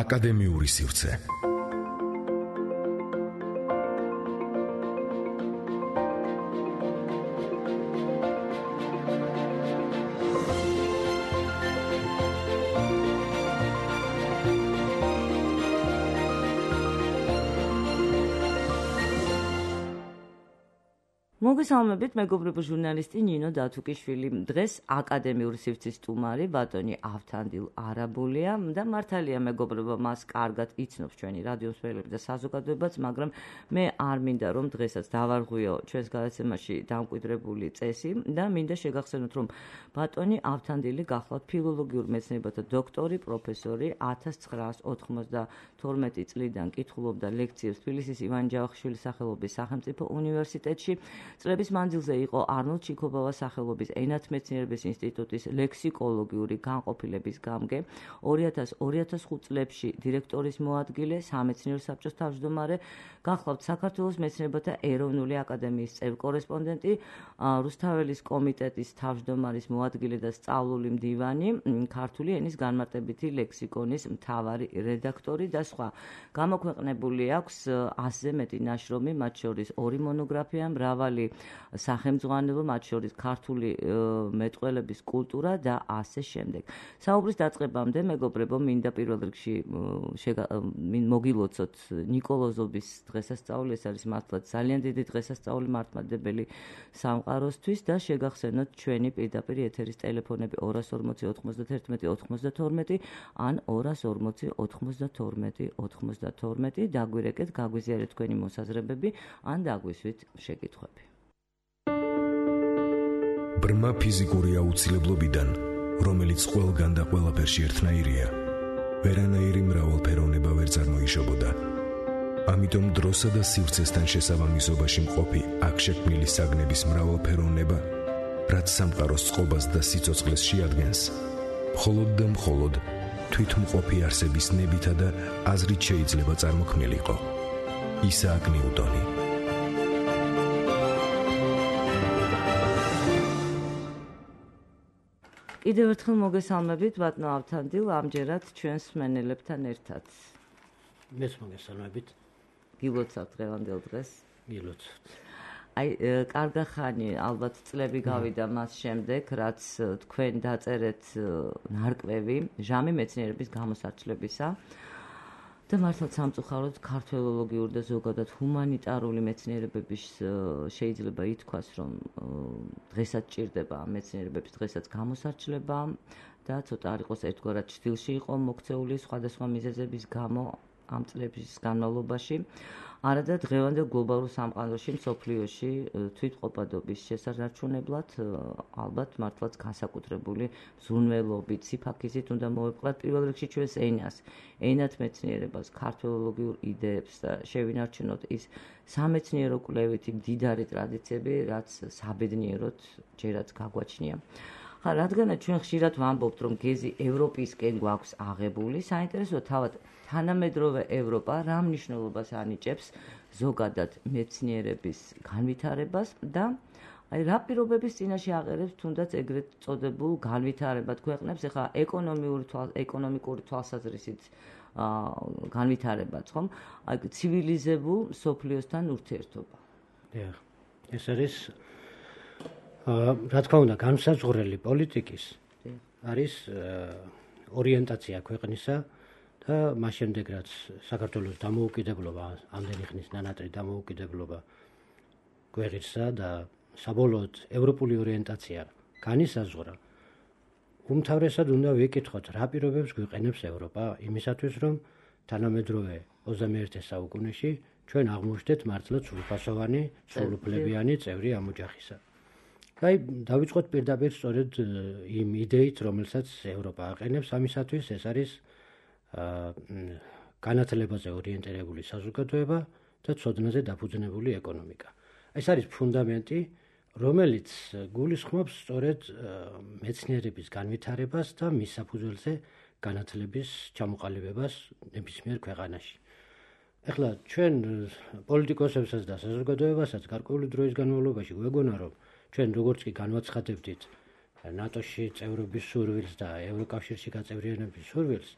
აკადემიური სივრცე. მოგესალმებით, მეგობრებო, ჟურნალისტი ნინო დათუკიშვილი. დღეს აკადემიური სივრცის სტუმარი ბატონი ავთანდილ არაბულია და მართალია, მეგობრებო, მას კარგად იცნობს ჩვენი რადიო მსმენელები და საზოგადოებაც, მაგრამ მე არ მინდა რომ დღესაც დავარღვიო ჩვენს გადაცემაში დამკვიდრებული წესი და მინდა შეგახსენოთ, რომ ბატონი ავთანდილი გახლავთ ფილოლოგიურ მეცნიერებათა დოქტორი, პროფესორი. 1992 წლიდან კითხულობდა ლექციებს თბილისის ივანე ჯავახიშვილის სახელობის სახელმწიფო უნივერსიტეტში. წლების მანძილზე იყო არნოლდ ჩიქობავას სახელობის ენათმეცნიერების ინსტიტუტის ლექსიკოლოგიური განყოფილების გამგე, 2000-2005 წლებში დირექტორის მოადგილე, სამეცნიერო საბჭოს თავმჯდომარე, გახლავთ საქართველოს მეცნიერებათა ეროვნული აკადემიის წევრ-კორესპონდენტი, რუსთაველის კომიტეტის თავმჯდომარის მოადგილე და სწავლული მდივანი, ქართული ენის განმარტებითი ლექსიკონის მთავარი რედაქტორი და სხვა. გამოქვეყნებული აქვს 100-ზე მეტი ნაშრომი, მათ შორის 2 მონოგრაფია, მრავალი სახელმძღვანელო, მათ შორის ქართული მეტყველების კულტურა და ასე შემდეგ. საუბრის დაწყებამდე, მეგობრებო, მინდა პირველ რიგში მოგილოცოთ ნიკოლოზობის დღესასწაული, ეს არის მართლაც ძალიან დიდი დღესასწაული მართლმადიდებელი სამყაროსთვის და შეგახსენოთ ჩვენი პირდაპირ ეთერის ტელეფონები 240-91-92 ან 240-92-92. დაგვირეკეთ, გაგვიზიარეთ თქვენი მოსაზრებები ან დაგვისვით შეკითხვები. ბრმა ფიზიკური აუცილებლობიდან, რომელიც ყველგან და ყველაფერში ერთნაირია, ვერანაირი მრავალფეროვნება ვერ წარმოიშობოდა. ამიტომ დროსა და სივრცესთან შესაბამისობაში მყოფი აქ შექმნილი საგნების მრავალფეროვნება, რაც სამყაროს წყობას და სიცოცხლეს შეადგენს, მხოლოდ და მხოლოდ თვითმყოფი არსების ნებითა და აზრით შეიძლება წარმოქმნილიყო. ისააკ ნიუტონი. კიდევ ერთხელ მოგესალმებით, ბატონო ავთანდილ, ამჯერად ჩვენს მსმენელებთან ერთად. მეც მოგესალმებით. გილოცავთ დღევანდელ დღეს? გილოცავთ. კარგა ხანი, ალბათ წლები გავიდა მას შემდეგ, რაც თქვენ დაწერეთ ნარკვევი ჟამი მეცნიერების გამოსარჩლებისა. და მართლაც სამწუხაროდ ქართველოლოგიური და ზოგადად ჰუმანიტარული მეცნიერებების შეიძლება ითქვას, რომ დღესაც ჭირდება ამ მეცნიერებების დღესაც გამოსარჩლება და ცოტა არ იყოს ერთგვარად ჩრდილში იყო მოქცეული სხვადასხვა მიზეზების გამო ამ წლების განმავლობაში. არადა დღევანდელ გლობალურ სამყაროში, მსოფლიოში თვითმყოფადობის შესანარჩუნებლად ალბათ მართლაც განსაკუთრებული ზრუნველობით, სიფაქიზით უნდა მოვეპყრათ პირველ რიგში ჩვენს ენას, ენათმეცნიერებას, ქართველოლოგიურ იდეებს და შევინარჩუნოთ ის სამეცნიერო კვლევითი მდიდარი ტრადიციები, რაც საბედნიეროდ ჯერაც გაგვაჩნია. რადგანაც ჩვენ ხშირად ვამბობთ, რომ გეზი ევროპისკენ გვაქვს აღებული, საინტერესოა თავად თანამედროვე ევროპა რა მნიშვნელობას ანიჭებს ზოგადად მეცნიერების განვითარებას და რა პირობების წინაშე აყერებს თუნდაც ეგრეთ წოდებულ განვითარებად ქვეყნებს, ეხლა ეკონომიკური თვალსაზრისით განვითარებაც, ხომ? ცივილიზებულ მსოფლიოსთან ურთიერთობა. ეს არის რა თქმა უნდა, განსაზღვრელი პოლიტიკის არის ორიენტაცია ქვეყნისა და მას შემდეგ, რაც საქართველოს დამოუკიდებლობა, ამდენი ხნის ნანატრი დამოუკიდებლობა გვეღირსა და საბოლოოდ ევროპული ორიენტაცია განისაზღვრა, უმთავრესად უნდა ვიკითხოთ, რა პირობებს გვიყენებს ევროპა იმისათვის, რომ თანამედროვე 21 საუკუნეში ჩვენ აღმოჩნდეთ მართლაც სრულფასოვანი, სრულუფლებიანი წევრი ამ ოჯახისა. დავიწყოთ პირდაპირ სწორედ იმ იდეით, რომელსაც ევროპა აყენებს ამისათვის, ეს არის განათლებაზე ორიენტირებული საზოგადოება და ცოდნაზე დაფუძნებული ეკონომიკა. ეს არის ფუნდამენტი, რომელიც გულისხმობს სწორედ მეცნიერების განვითარებას და მის საფუძველზე განათლების ჩამოყალიბებას ნებისმიერ ქვეყანაში. ეხლა ჩვენ პოლიტიკოსებსაც და საზოგადოებასაც გარკვეული დროის განმავლობაში გვეგონა, რომ ჩვენ როგორც კი განვაცხადებდით ნატოში წევრობის სურვილს და ევროკავშირში გაწევრიანების სურვილს,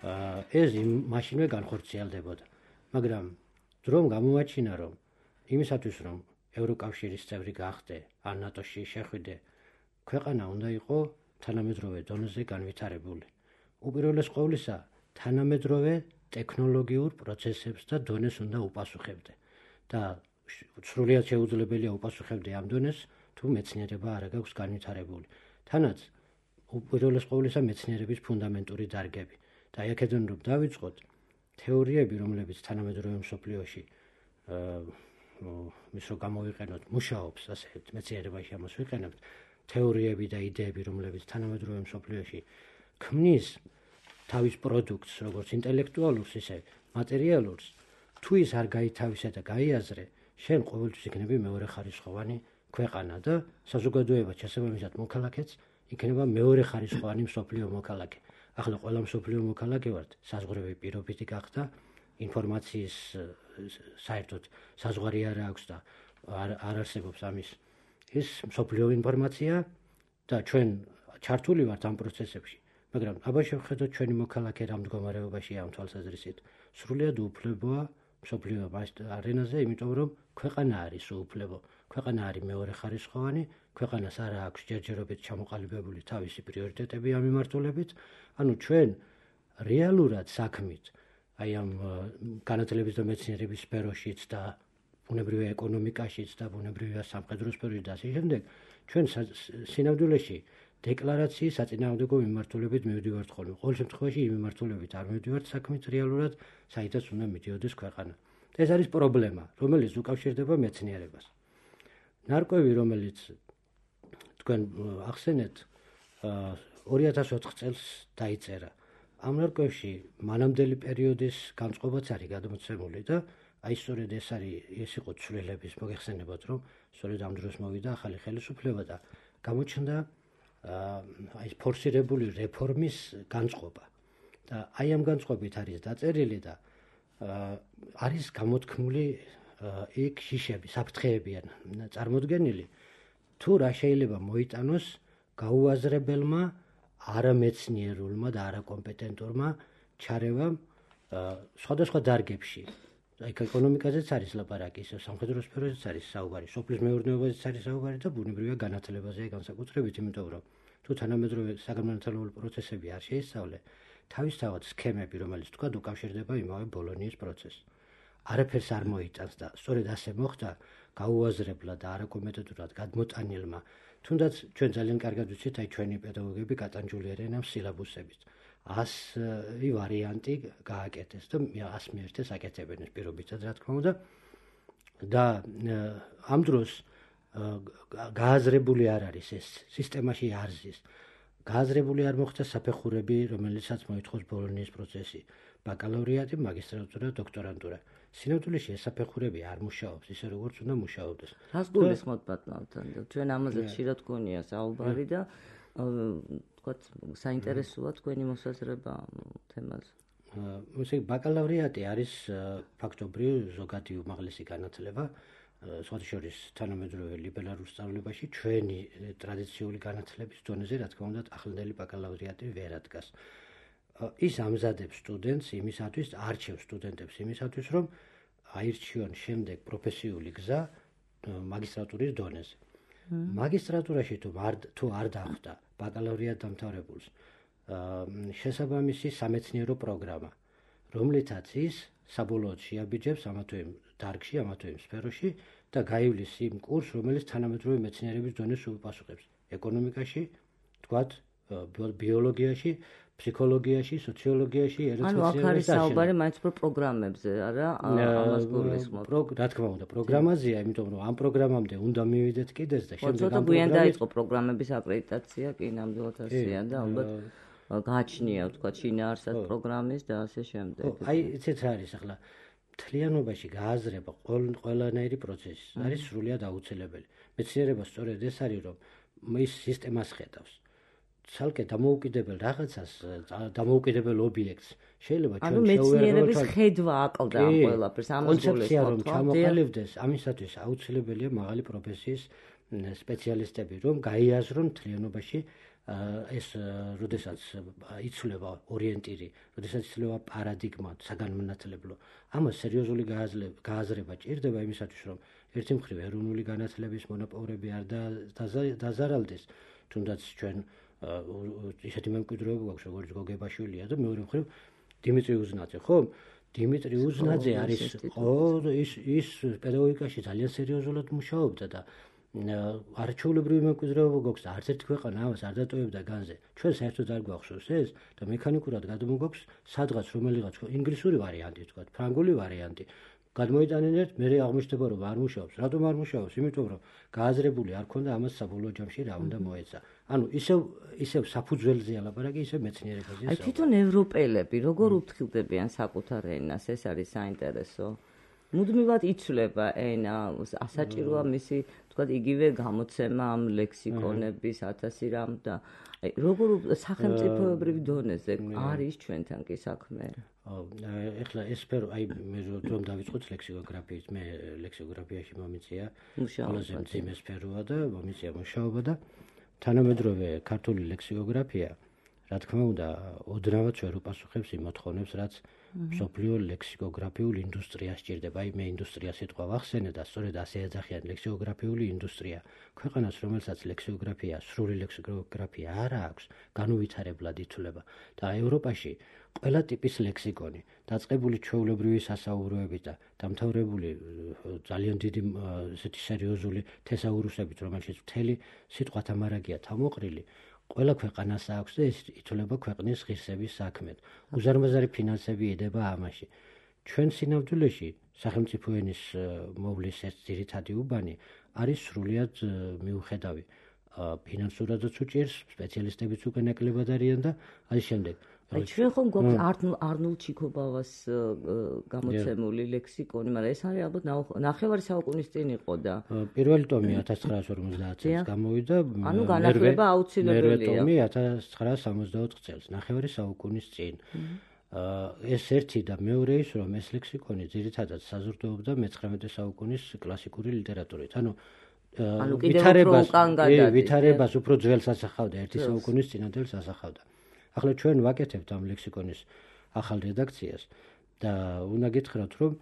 ეს მაშინვე განხორციელდებოდა. მაგრამ დრომ გამოაჩინა, რომ იმისათვის, რომ ევროკავშირის წევრი გახდე, ან ნატოში შეხვიდე, ქვეყანა უნდა იყო თანამედროვე დონეზე განვითარებული. უპირველეს ყოვლისა, თანამედროვე ტექნოლოგიურ პროცესებს და დონეს უნდა უპასუხებდე. და სრულიად შეუძლებელია უპასუხებდე ამ დონეს, თუ მეცნიერება არ აქვს განვითარებული. თანაც უპირველეს ყოვლისა მეცნიერების ფუნდამენტური დარგები. და აი აქედან რომ დავიწყოთ, თეორიები, რომლებიც თანამედროვე მსოფლიოში ის რომ გამოვიყენოთ, მუშაობს, ასე მეცნიერებაში ამას ვიყენებთ, თეორიები და იდეები, რომლებიც თანამედროვე მსოფლიოში ქმნის თავის პროდუქტს, როგორც ინტელექტუალურს, ისე მატერიალურს, თუ ის არ გაითავისე და გაიაზრე, შენ ყოველთვის იქნები მეორეხარისხოვანი ქვეყანა და საზოგადოება შესაბამისად მოქალაქეც იქნება მეორეხარისხოვანი მსოფლიო მოქალაქე. ახლა ყველა მსოფლიო მოქალაქე ვართ, საზღვრები პირობითი გახდა, ინფორმაციის საერთოდ საზღვარი არ აქვს და არ არსებობს ამის ის მსოფლიო ინფორმაცია და ჩვენ ჩართული ვართ ამ პროცესებში. მაგრამ აბა შევხედოთ ჩვენი მოქალაქე რა მდგომარეობაშია ამ თვალსაზრისით. სრულიად უუფლებოა მსოფლიო არენაზე, იმიტომ რომ ქვეყანა არის უუფლებო, ქვეყანა არის მეორეხარისხოვანი, ქვეყანას არ აქვს ჯერჯერობით ჩამოყალიბებული თავისი პრიორიტეტები ამ მიმართულებით. ანუ ჩვენ რეალურად საქმით, აი ამ განათლების და მეცნიერების სფეროშიც და ბუნებრივი ეკონომიკაშიც და ბუნებრივი სამხედრო სფეროში და ასე შემდეგ, ჩვენ სინამდვილეში დეკლარაციის საწინააღმდეგო მიმართულებით მივდივართ ხოლმე. ყოველ შემთხვევაში იმ მიმართულებით არ მივდივართ საქმით რეალურად, საიდანაც უნდა მიდიოდეს ქვეყანა. ეს არის პრობლემა, რომელიც უკავშირდება მეცნიერებას. ნარკვევი, რომელიც თქვენ ახსენეთ, 2004 წელს დაიწერა. ამ ნარკვევში მანამდელი პერიოდის განწყობაც არის გადმოცემული და აი სწორედ ეს იყო ცვლილების მოგეხსენებათ, რომ სწორედ ამ დროს მოვიდა ახალი ხელისუფლება და გამოჩნდა აი ფორსირებული რეფორმის განწყობა. და აი ამ განწყობით არის დაწერილი და არის გამოთქმული იქ შიშები, საფრთხეები ან წარმოდგენილი, თუ რა შეიძლება მოიტანოს გაუაზრებელმა არამეცნიერულმა და არაკომპეტენტურმა ჩარევამ სხვადასხვა დარგებში. აი ეკონომიკაზეც არის ლაპარაკი, სამხედრო სფეროზეც არის საუბარი, სოფლის მეურნეობაზეც არის საუბარი და ბუნებრივია განათლებაზე განსაკუთრებით, იმიტომ რომ თუ თანამედროვე საგანმანათლებლო პროცესები არ შეისწავლე, თავისთავად სქემები, რომელიც თქვა უკავშირდება იმავე ბოლონიის პროცესს. არაფერს არ მოიტანს და სწორედ ასე მოხდა გაუაზრებლად და არაკომპეტენტურად გადმოტანილმა. თუნდაც ჩვენ ძალიან კარგად ვიცით, აი ჩვენი პედაგოგები კატანჯული არიან ამ სილაბუსებით. 100 ვარიანტი გააკეთეს და 100 მიერთეს აკეთებენ ეს პირობითად, რა თქმა უნდა. და ამ დროს გააზრებული არ არის ეს სისტემაში არ ზის. გააზრებული არ მოხდა საფეხურები, რომელიცაც მოითხოვს ბოლონიის პროცესი, ბაკალავრიატი, მაგისტრატურა, დოქტორანტურა. სინამდვილეში ეს საფეხურები არ მუშაობს ისე როგორც უნდა მუშაობდეს. რას გულისხმობთ ბატონთან? ჩვენ ამაზე ხშირად გქონია საუბარი და თქვათ საინტერესოა თქვენი მოსაზრება თემაზე. ესე ბაკალავრიატი არის ფაქტობრივ ზოგადი უმაღლესი განათლება, სხვათა შორის თანამედროვე ლიბერალურ სწავლებაში ჩვენი ტრადიციული განათლების დონეზე, რა თქმა უნდა, ახლანდელი ბაკალავრიატი ვერ ადგას. ის ამზადებს სტუდენტს იმისათვის, არჩევს სტუდენტებს იმისათვის, რომ აირჩიონ შემდეგ პროფესიული გზა მაგისტრატურის დონეზე. მაგისტრატურაში თუ არ დახვდა ბაკალავრიატ დამთავრებულს შესაბამისი სამეცნიერო პროგრამა, რომლითაც ის საბოლოოდ შეაბიჯებს ამა თუ იმ დარგში, ამა თუ იმ სფეროში და გაივლის იმ კურსს, რომელიც თანამედროვე მეცნიერების დონეს უპასუხებს. ეკონომიკაში, თქვათ, ბიოლოგიაში, ფსიქოლოგიაში, სოციოლოგიაში, ანუ აქ არის საუბარი მაინც უფრო პროგრამებზე, არა? ამას გულისხმობ. რა თქმა უნდა, პროგრამაზეა, იმიტომ რომ ამ პროგრამამდე უნდა მივიდეთ კიდეც და შემდეგ ამ პროგრამით დაიწყო პროგრამების აკრედიტაცია, კი ნამდვილად ასეა და ალბათ გააჩნია, თქვა, შინაარსად პროგრამის და ასე შემდეგ. აი, იცით რა არის ახლა მთლიანობაში გააზრება ყველანაირი პროცესი არის სრულიად აუცილებელი. მეცნიერება სწორედ ეს არის, რომ ის სისტემას ხედავს. ცალკე დამოუკიდებელ რაღაცას, დამოუკიდებელ ობიექტს შეიძლება ჩვენ შევერევლოთ. ანუ მეცნიერების ხედვა აკლდა ამ ყველაფერს, ამას კონცეფცია რომ ჩამოყალიბდეს, ამისათვის აუცილებელია მაღალი პროფესიის სპეციალისტები, რომ გაიაზრონ მთლიანობაში ეს როდესაც იცვლება ორიენტირი, როდესაც იცვლება პარადიგმა საგანმანათლებლო, ამას სერიოზული გააზრება ჭირდება იმისათვის, რომ ერთი მხრივ ეროვნული განათლების მონოპოლები არ დაზარალდეს, თუნდაც ჩვენ ისეთი მემკვიდრეობა გვაქვს, როგორც გოგებაშვილია და მეორე მხრივ დიმიტრი უზნაძე, ხო? დიმიტრი უზნაძე არის ის პედაგოგიკაში ძალიან სერიოზულად მუშაობდა და არჩეულებრივი მემკვიდრეობა გვაქვს და არც ერთი ქვეყანა ამას არ დატოვებდა განზე. ჩვენ საერთოდ არ გვახსოვს ეს და მექანიკურად გადმოგვაქვს სადღაც რომელიღაც ინგლისური ვარიანტი თქვა, ფრანგული ვარიანტი. გადმოიტანენთ, მე აღმოჩნდება რომ არ მუშაობს. რატომ არ მუშაობს? იმიტომ რომ გააზრებული არ ქონდა ამას საბოლოო ჯამში რა უნდა მოეცა. ანუ ისევ საფუძველზეა ლაპარაკი, ისევ მეცნიერებაზე. აი თვითონ ევროპელები როგორ უფრთხილდებიან საკუთარ ენას, ეს არის საინტერესო. მუდმივად იცვლება ენა, ასაჭიროა მისი, თქვათ, იგივე გამოცემა ამ ლექსიკონების 1000 რამ და როგორ სახელმწიფოებრივ დონეზე არის ჩვენთან კი საქმე? ეხლა ეს სფერო, აი მე რომ დავიწყოთ ლექსიკოგრაფიით, მე ლექსიკოგრაფიაში მომიწია ყველაზე მძიმე სფეროა და მომიწია მუშაობა და თანამედროვე ქართული ლექსიკოგრაფია, რა თქმა უნდა, ოდნავად ვერ უპასუხებს იმ მოთხოვნებს, რაც მსოფლიო ლექსიკოგრაფიულ ინდუსტრიას სჭირდება. აი მე ინდუსტრია სიტყვა ვახსენე და სწორედ ასე ეძახიან ლექსიკოგრაფიული ინდუსტრია. ქვეყანას, რომელსაც ლექსიკოგრაფია, სრული ლექსიკოგრაფია არ აქვს, განუვითარებლად ითვლება და ევროპაში ყველა ტიპის ლექსიკონი, დაწყებული ჩვეულებრივი სასაუბროებით და დამთავრებული ძალიან დიდი ესეთი სერიოზული თესაურუსებით, რომელშიც მთელი სიტყვათა მარაგია თავმოყრილი, ყველა ქვეყანას აქვს და ეს ითვლება ქვეყნის ღირსების საქმედ. უზარმაზარი ფინანსები ედება ამაში. ჩვენ სინამდვილეში სახელმწიფო ენის მოვლის ეს ძირითადი უბანი არის სრულიად მიუხედავი. ფინანსურადაც უჭირს, სპეციალისტებიც უკვე ნაკლებად არიან და ამის შემდეგ აი ჩვენ ხომ გვაქვს არნოლდ ჩიქობავას გამოცემული ლექსიკონი, მაგრამ ეს არის ალბათ ნახევარი საუკუნის წინ იყო და პირველი ტომი 1950 წელს გამოვიდა, ანუ განახლება აუცილებელია. მეორე ტომი 1964 წელს, ნახევარი საუკუნის წინ. ეს ერთი და მეორე ის, რომ ეს ლექსიკონი ძირითადად საზრდოობდა მე-19 საუკუნის კლასიკური ლიტერატურით. ანუ ვითარებას უფრო ძველს ასახავდა, ერთი საუკუნის წინადელს ასახავდა. ახლა ჩვენ ვაკეთებთ ამ ლექსიკონის ახალ რედაქციას და უნდა გითხრათ, რომ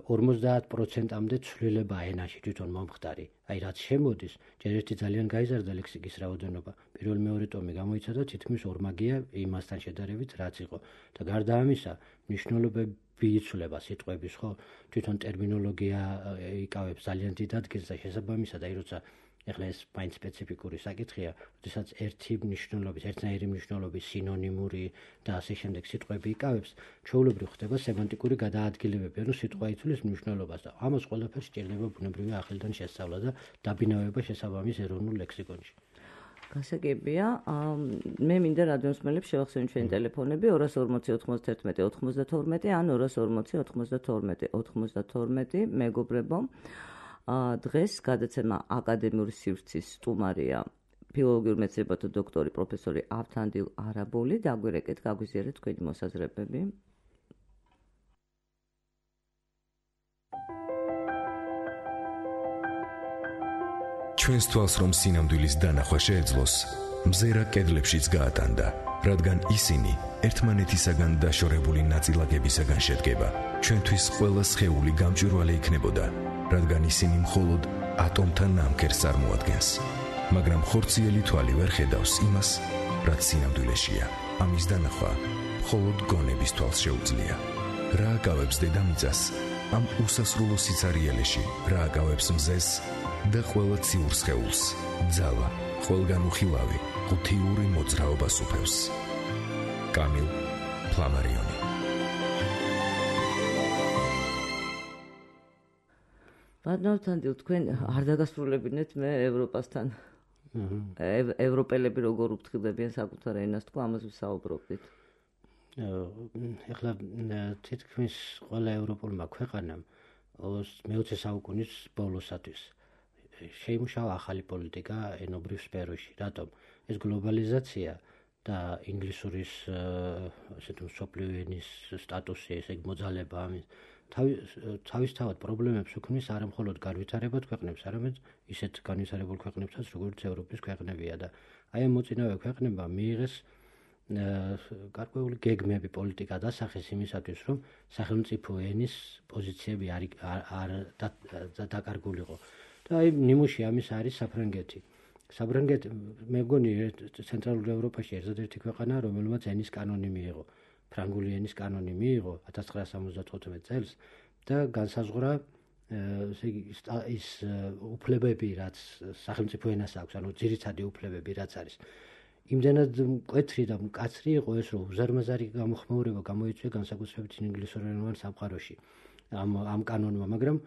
50%-მდე ცვლილება ენაში თვითონ მომხდარი. აი რაც შემოდის, ჯერ ერთი ძალიან გაიზარდა ლექსიკის რაოდენობა. პირველ-მეორე ტომი გამოიცა და თითქმის ორმაგია იმასთან შედარებით, რაც იყო. და გარდა ამისა, მნიშვნელობები იცვლება სიტყვების, ხო? თვითონ ტერმინოლოგია იკავებს ძალიან დიდ ადგილს და შესაბამისად, აი როცა ეხლა ეს მაინც სპეციფიკური საკითხია, როდესაც ერთნაირი მნიშვნელობის სინონიმური და ასე შემდეგ სიტყვები იკავებს, ჩვეულებრივ ხდება სემანტიკური გადაადგილებები, ანუ სიტყვა იცვლის მნიშვნელობას და ამას ყველაფერს სჭირდება ბუნებრივი ახალიდან შესწავლა და დაბინავება შესაბამის ეროვნულ ლექსიკონში. გასაგებია, მე მინდა რადიოსმენელებს შევახსენოთ ჩვენი ტელეფონები 240 91 92 ან 240 92 92. მეგობრებო, დღეს გადაცემა აკადემიური სივრცის სტუმარია ფილოლოგიურ მეცნიერებათა დოქტორი პროფესორი ავთანდილ არაბული. დაგვირეკეთ, გაგვიზიარეთ თქვენი მოსაზრებები. ჩვენს თვალს რომ სინამდვილის დანახვა შეეძლოს, მზერა კედლებშიც გაატანდა, რადგან ისინი ერთმანეთისაგან დაშორებული ნაწილაკებისაგან შედგება. ჩვენთვის ყველა სხეული გამჭვირვალე იქნებოდა, რადგან ისინი მხოლოდ ატომთან ნამქერს წარმოადგენს. მაგრამ ხორციელი თვალი ვერ ხედავს იმას, რაც სინამდვილეშია. ამის დანახვა მხოლოდ გონების თვალს შეუძლია. რა აკავებს დედამიწას ამ უსასრულო სიცარიელეში, რა აკავებს მზეს და ყველა ციურ სხეულს, ძალა, ყველგან უხილავი, ღუთიური მოძრაობას უფევს. კამილ ფლამარიონი. ბატონო, თქვენ არ დაგასრულებინეთ მე ევროპასთან. ევროპელები როგორ უფრთხილდებიან საკუთარ ენას, თქვა ამას ვსაუბრობდით. ეხლა თითქმის ყველა ევროპულმა ქვეყანამ მე-20 საუკუნის ბოლოსათვის შეიმუშავა ახალი პოლიტიკა ენობრივ სფეროში. რატომ? ეს გლობალიზაცია და ინგლისურის ასეთ მსოფლიო ენის სტატუსი, ესე იგი მოძალება ამის თავისთავად პრობლემებს უქმნის არა მხოლოდ განვითარებად ქვეყნებს, არამედ ისეთ განვითარებულ ქვეყნებსაც, როგორც ევროპის ქვეყნებია და აი ამ მოწინავე ქვეყნებმა მიიღეს გარკვეული გეგმები პოლიტიკა დასახეს იმისათვის, რომ სახელმწიფო ენის პოზიციები არ დაკარგულიყო. და აი ნიმუში ამის არის საფრანგეთი. საფრანგეთი მე მგონი ცენტრალურ ევროპაში ერთადერთი ქვეყანა, რომელმაც ენის კანონი მიიღო. ფრანგული ენის კანონი მიიღო 1975 წელს და განსაზღვრა ის უფლებები, რაც სახელმწიფო ენას აქვს, ანუ ძირითადი უფლებები, რაც არის. იმდენად მკვეთრი და მკაცრი იყო ეს, რომ უზარმაზარი გამოხმაურება გამოიწვია განსაკუთრებით ინგლისურენოვან სამყაროში ამ კანონმა, მაგრამ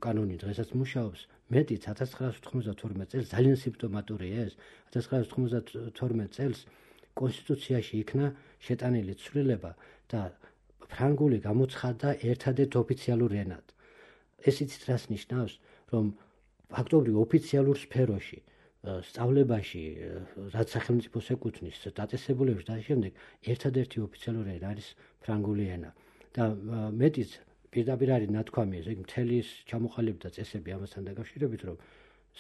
კანონი დღესაც მუშაობს. მეტიც 1992 წელს ძალიან სიმპტომატურია ეს. 1992 წელს კონსტიტუციაში იქნა შეტანილი ცვლილება და ფრანგული გამოცხადდა ერთადერთ ოფიციალურ ენად. ეს იცით რას ნიშნავს, რომ ფაქტობრივ ოფიციალურ სფეროში, სწავლებაში, რაც სახელმწიფოს ეკუთვნის, დაწესებულებებში და შემდეგ ერთადერთი ოფიციალური ენა არის ფრანგული ენა. და მეტიც პირდაპირ არის ნათქვამი, ეს მთელი ჩამოყალიბდა და წესები ამასთან დაკავშირებით, რომ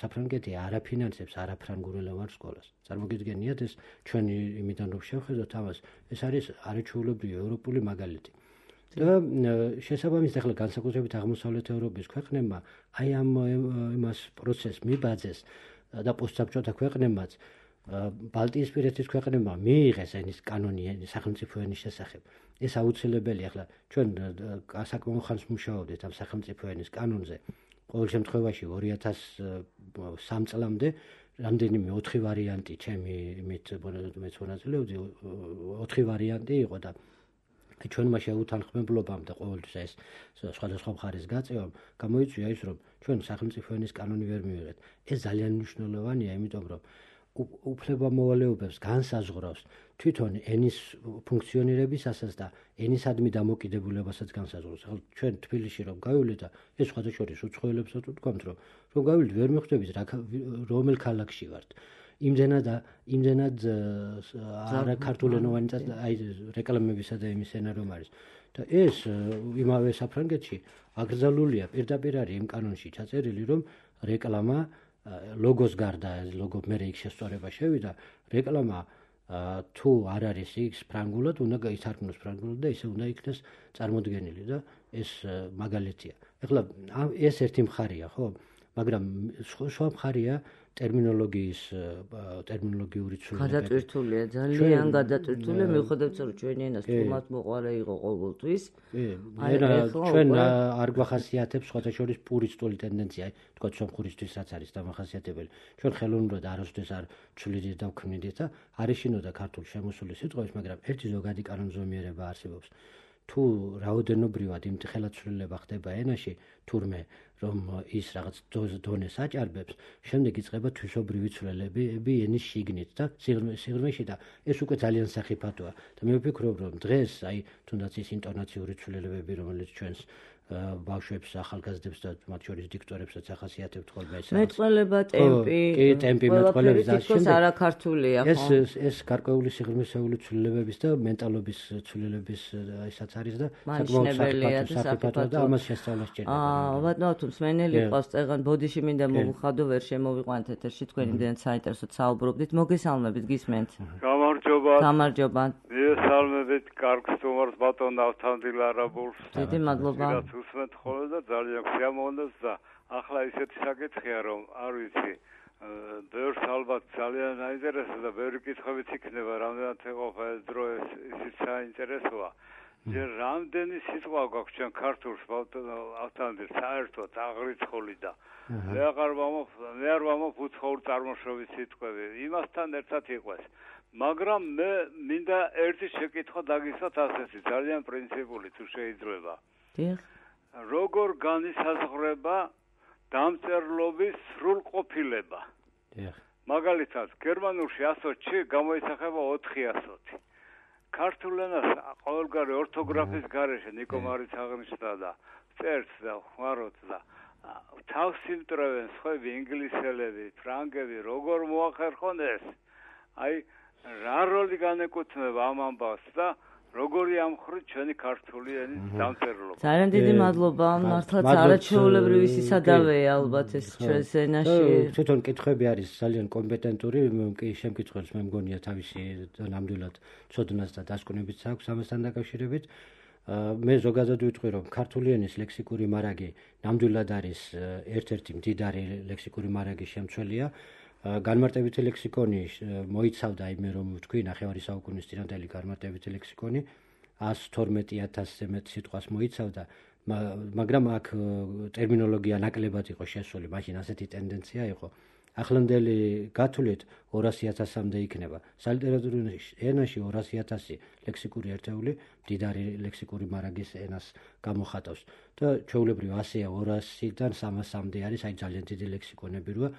საფრანგეთი არ აფინანსებს არაფრანგულენოვან სკოლას. წარმოგიდგენიათ ეს ჩვენი იმიდან რომ შევხედოთ ამას, ეს არის არაჩვეულებრივი ევროპული მაგალითი. და შესაბამისად ახლა განსაკუთრებით აღმოსავლეთ ევროპის ქვეყნებმა აი ამ იმას პროცესს მიბაძეს და პოსტსაბჭოთა ქვეყნებმაც ბალტიისპირეთის ქვეყნებმა მიიღეს ენის კანონი სახელმწიფო ენის შესახებ. ეს აუცილებელი ახლა ჩვენ საკმაო ხანს მუშაობდით ამ სახელმწიფო ენის კანონზე. ყოველ შემთხვევაში 2003 წლამდე რამდენიმე 4 ვარიანტი ჩემი იმით მეც მონაწილეობდი 4 ვარიანტი იყო და ჩვენმა შეუთანხმებლობამ და ყოველთვის ეს სხვადასხვა მხარის გაწევამ გამოიწვია ის, რომ ჩვენ სახელმწიფო ენის კანონი ვერ მივიღეთ. ეს ძალიან მნიშვნელოვანია, იმიტომ რომ უფლებამოვალეობებს განსაზღვრავს თვითონ ენის ფუნქციონირებისასაც და ენისადმი დამოკიდებულებასაც განსაზღვრავს. ახლა ჩვენ თბილისში რომ გავივლით და ეს სხვადასხვა უცხოელებსაც ვთქვამთ, რომ გავივლით ვერ მიხვდებით რომელ ქალაქში ვართ. იმდენად არა ქართულენოვანი აი რეკლამებისა და იმის ენა რომ არის. და ეს იმავე საფრანგეთში აკრძალულია პირდაპირ არის იმ კანონში ჩაწერილი, რომ რეკლამა ლოგოს გარდა ლოგო მერე იქ შესწორება შევიდა, რეკლამა თუ არ არის ის ფრანგულად, უნდა გაითარგმნოს ფრანგულად და ისე უნდა იქნეს წარმოდგენილი და ეს მაგალითია. ეხლა ეს ერთი მხარია, ხო? მაგრამ სხვა მხარია ტერმინოლოგიური ცვლილებები. გადატვირთულია, ძალიან გადატვირთულია, მიუხედავად რომ ჩვენი ენას თუმად მოყარე იყო ყოველთვის. ჩვენ არ გვახასიათებს სხვადასხვა პურისტული ტენდენცია, თქვა სომხურისთვის რაც არის დამახასიათებელი. ჩვენ ხელოვნურად არასდროს არ ცვლიდით და ვქმნიდით და არ ეშინოდა ქართულ შემოსული სიტყვების, მაგრამ ერთი ზოგადი კანონზომიერება არსებობს. თუ რაოდენობრივად იმ ხელაცვლილება ხდება ენაში, თურმე რომ ის რაღაც დონეს აჭარბებს, შემდეგ იწყება თვისობრივი ცვლილებები ენის შიგნით და სიღრმეში და ეს უკვე ძალიან სახიფათოა. და მე ვფიქრობ, რომ დღეს აი თუნდაც ის ინტონაციური ცვლილებები, რომელიც ჩვენს ბავშვებს, ახალგაზრდებს და მათ შორის დიქტორებსაც ახასიათებთ ხოლმე ეს. მეტყველება, ტემპი. კი, ტემპი, მეტყველების და ეს არაქართულია, ხო? ეს გარკვეული სიღრმისეული ცვლილებების და მენტალობის ცვლილების ისაც არის და საკმაოდ სახიფათოა და ამას შესწავლა სჭირდება. ბატონო, თუ მსმენელი ყავს წეგან ბოდიში მინდა მოვიხადო, ვერ შემოვიყვანთ ეთერში, თქვენ იმდენად საინტერესოდ საუბრობდით. მოგესალმებით, გისმენთ. გამარჯობა. გამარჯობა. მისალმებით, კარგ სტუმარს ბატონ ავთანდილ არაბულს. დიდი მადლობა. უსმენთ ხოლმე და ძალიან ხიამოვნებს და ახლა ისეთი საკითხია, რომ არ ვიცი, ბევრს ალბათ ძალიან აინტერესებს და ბევრი კითხვებიც იქნება, რამდენად ეყოფა ეს დრო ისიც საინტერესოა. ჯერ რამდენი სიტყვა გვაქვს ჩვენ ქართულს ავთანდილ საერთოდ აღრიცხული და მე არ ვამოფ უცხოურ წარმოშობის სიტყვები. იმასთან ერთად იყვეს. მაგრამ მე მინდა ერთი შეკითხვა დაგისვათ ასეთი, ძალიან პრინციპული თუ შეიძლება. დიახ. როგორ განისაზღვრება დამწერლობის სრულყოფილება? დიახ. მაგალითად, გერმანულში 100-ში გამოისახება 400. ქართულ ენას ყოველგვარი ორთოგრაფის გარეშე ნიკო მარიც აღნიშნა და წერს და ხმარობს და თავს იმტრევენ სხვები ინგლისელები, ფრანგები, როგორ მოახერხონ ეს? აი რა როლი განეკუთვნება ამ ამბავს და როგორი ამხრით ჩვენი ქართული ენის დამწერლობა. ძალიან დიდი მადლობა, მართლაც არაჩვეულებრივი სისადავეა ალბათ ეს ჩვენს ენაში. თვითონ კითხვები არის ძალიან კომპეტენტური, კი შემკითხველს მე მგონია თავისი ნამდვილად ცოდნას და დასკვნებიც აქვს ამასთან დაკავშირებით. მე ზოგადად ვიტყვი, რომ ქართული ენის ლექსიკური მარაგი ნამდვილად არის ერთ-ერთი მდიდარი ლექსიკური მარაგის შემცველია. განმარტებითი ლექსიკონი მოიცავდა იმე რომ ვთქვი ნახევარი საუკუნის წინანდელი განმარტებითი ლექსიკონი 112,000-ზე მეტ სიტყვას მოიცავდა, მაგრამ აქ ტერმინოლოგია ნაკლებად იყო შესული, მაშინ ასეთი ტენდენცია იყო. ახლანდელი გათვლით 200,000-მდე იქნება. სალიტერატურო ენაში 200,000 ლექსიკური ერთეული მდიდარი ლექსიკური მარაგის ენას გამოხატავს. და ჩვეულებრივ ასეა 200-დან 300-მდე არის, აი ძალიან დიდი ლექსიკონები როა,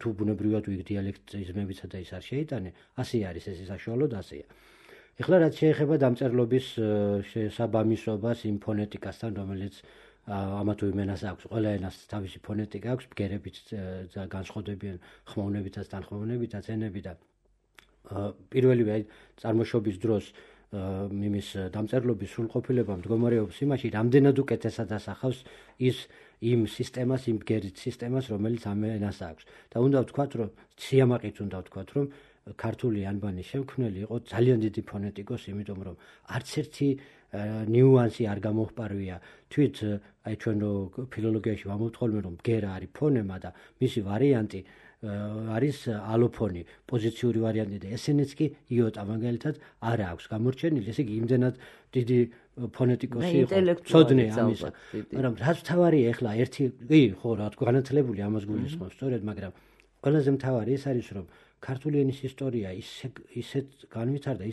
თუ ბუნებრივად ვიგ დიალექტიზმებიცა და ის არ შეიტანე, ასე არის ეს საშუალოდ ასეა. ეხლა რაც შეეხება დამწერლობის შესაბამისობას იმ ფონეტიკასთან, რომელიც ამა თუ იმ ენას აქვს, ყველა ენას თავისი ფონეტიკა აქვს, ბგერებით განსხვავდებიან ხმოვნებითაც, თანხმოვნებითაც ენები და პირველივე აი წარმოშობის დროს იმის დამწერლობის სრულყოფილება მდგომარეობს იმაში, რამდენად უკეთესად ასახავს იმ სისტემას, იმ ბგერით სისტემას, რომელიც ამ ენას აქვს. და უნდა ვთქვათ, რომ სიამაყით უნდა ვთქვათ, რომ ქართული ანბანის შემქმნელი იყო ძალიან დიდი ფონეტიკოსი, იმიტომ რომ არც ერთი ნიუანსი არ გამოჰპარვია. თვით აი ჩვენ ფილოლოგიაში ვამოვთხოვლმე, რომ ბგერა არის ფონემა და მისი ვარიანტი არის ალოფონი, პოზიციური ვარიანტი და ესენიც კი იოტა მაგალითად არ აქვს გამორჩენილი, ესე იგი იმდენად დიდი ფონეტიკოსი იყო, ცოდნე ამისა. მაგრამ რაც მთავარია ეხლა ერთი, ხო რა თქმა უნდა განათლებული ამას გულისხმობს სწორედ, მაგრამ ყველაზე მთავარი ეს არის, რომ ქართული ენის ისტორია ისეთ განვითარდა,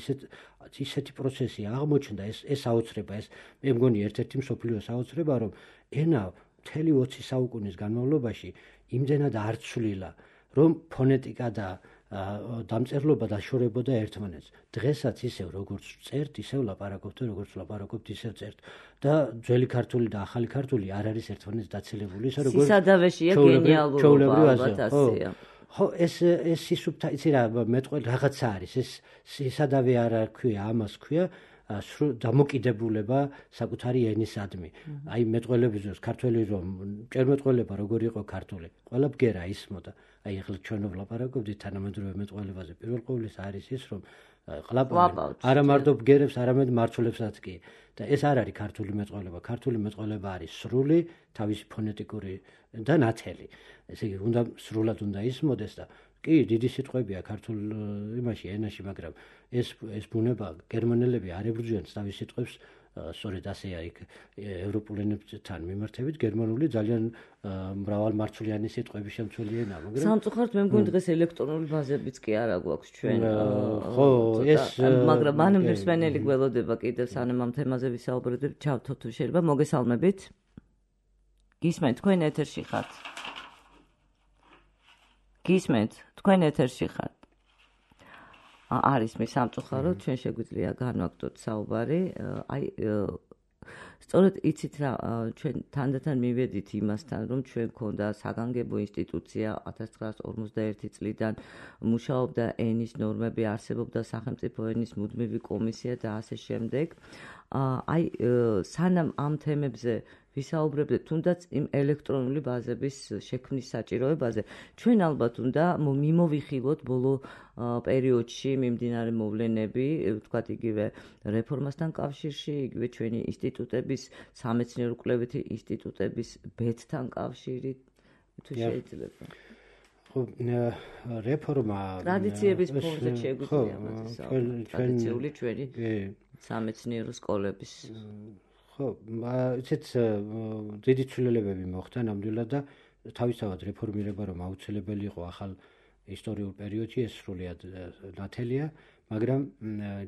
ისეთი პროცესი აღმოჩნდა, ეს აუცრება, ეს მე მგონი ერთ-ერთი მსოფლიოს აუცრება, რომ ენა მთელი 20 საუკუნის განმავლობაში იმდენად არ ცვლილა, რომ ფონეტიკა და დამწერლობა დაშორებოდა ერთმანეთს. დღესაც ისევ როგორც წერთ, ისევ ლაპარაკობთ, როგორც ლაპარაკობთ, ისევ წერთ. და ძველი ქართული და ახალი ქართული არ არის ერთმანეთს დაცილებული, ისე როგორც სისადავეშია გენიალურობა, ალბათ ასეა. ხო, ეს სისუფთა, იცი რა, მეტყვი რაღაცა არის, ეს სისადავე არ ქვია, ამას ქვია დამოკიდებულება საკუთარი ენისადმი. აი მეტყველების დროს ქართველი რომ ჭერმეტყველება როგორი იყო ქართული, ყველა ბგერა ისმოდა. აი ახლა ჩვენ ვლაპარაკობთ თანამედროვე მეტყველებაზე. პირველ ყოვლისა არის ის, რომ ყლაპავენ არა მარტო ბგერებს, არამედ მარცვლებსაც კი. და ეს არ არის ქართული მეტყველება. ქართული მეტყველება არის სრული, თავისი ფონეტიკური და ნათელი. ესე იგი, უნდა სრულად უნდა ისმოდეს და კი, დიდი სიტყვებია ქართულ იმაში, ენაში, მაგრამ ეს ბუნება გერმანელები არ ებრძვიან თავის სიტყვებს, სწორედ ასეა იქ ევროპულ ენებთან მიმართებით, გერმანული ძალიან მრავალმარცვლიანი სიტყვების შემცველი ენაა, მაგრამ სამწუხაროდ მე მგონი დღეს ელექტრონული ბაზებიც კი არა გვაქვს ჩვენ. ხო, ეს მაგრამ მანამდე მსმენელი გველოდება კიდევ სანამ ამ თემაზე ვისაუბრებთ, ჩავთო თუ შეიძლება, მოგესალმებით. გისმენთ, თქვენ ეთერში ხართ. გისმენთ, თქვენ ეთერში ხართ. არის მე სამწუხაროდ ჩვენ შეგვიძლია განვაგდოთ საუბარი. აი სწორედ იცით რა, ჩვენ თანდათან მივედით იმასთან, რომ ჩვენ ქონდა საგანგებო ინსტიტუცია 1951 წლიდან მუშაობდა ენის ნორმები, არსებობდა სახელმწიფო ენის მუდმივი კომისია და ასე შემდეგ. აი სანამ ამ თემებზე ვისაუბრებდეთ, თუნდაც იმ ელექტრონული ბაზების შექმნის საჭიროებაზე, ჩვენ ალბათ უნდა მიმოვიხილოთ ბოლო პერიოდში მიმდინარე მოვლენები, ვთქვათ იგივე რეფორმასთან კავშირში, იგივე ჩვენი ინსტიტუტების, სამეცნიერო კვლევითი ინსტიტუტების ბედთან კავშირით, თუ შეიძლება. ხო, რეფორმა ტრადიციების ფონზე შეგვიძლია ტრადიციული ჩვენი სამეცნიერო სკოლების. ხო, იცით დიდი ცვლილებები მოხდა ნამდვილად და თავისთავად რეფორმირება რომ აუცილებელი იყო ახალ ისტორიულ პერიოდში, ეს სრულიად ნათელია, მაგრამ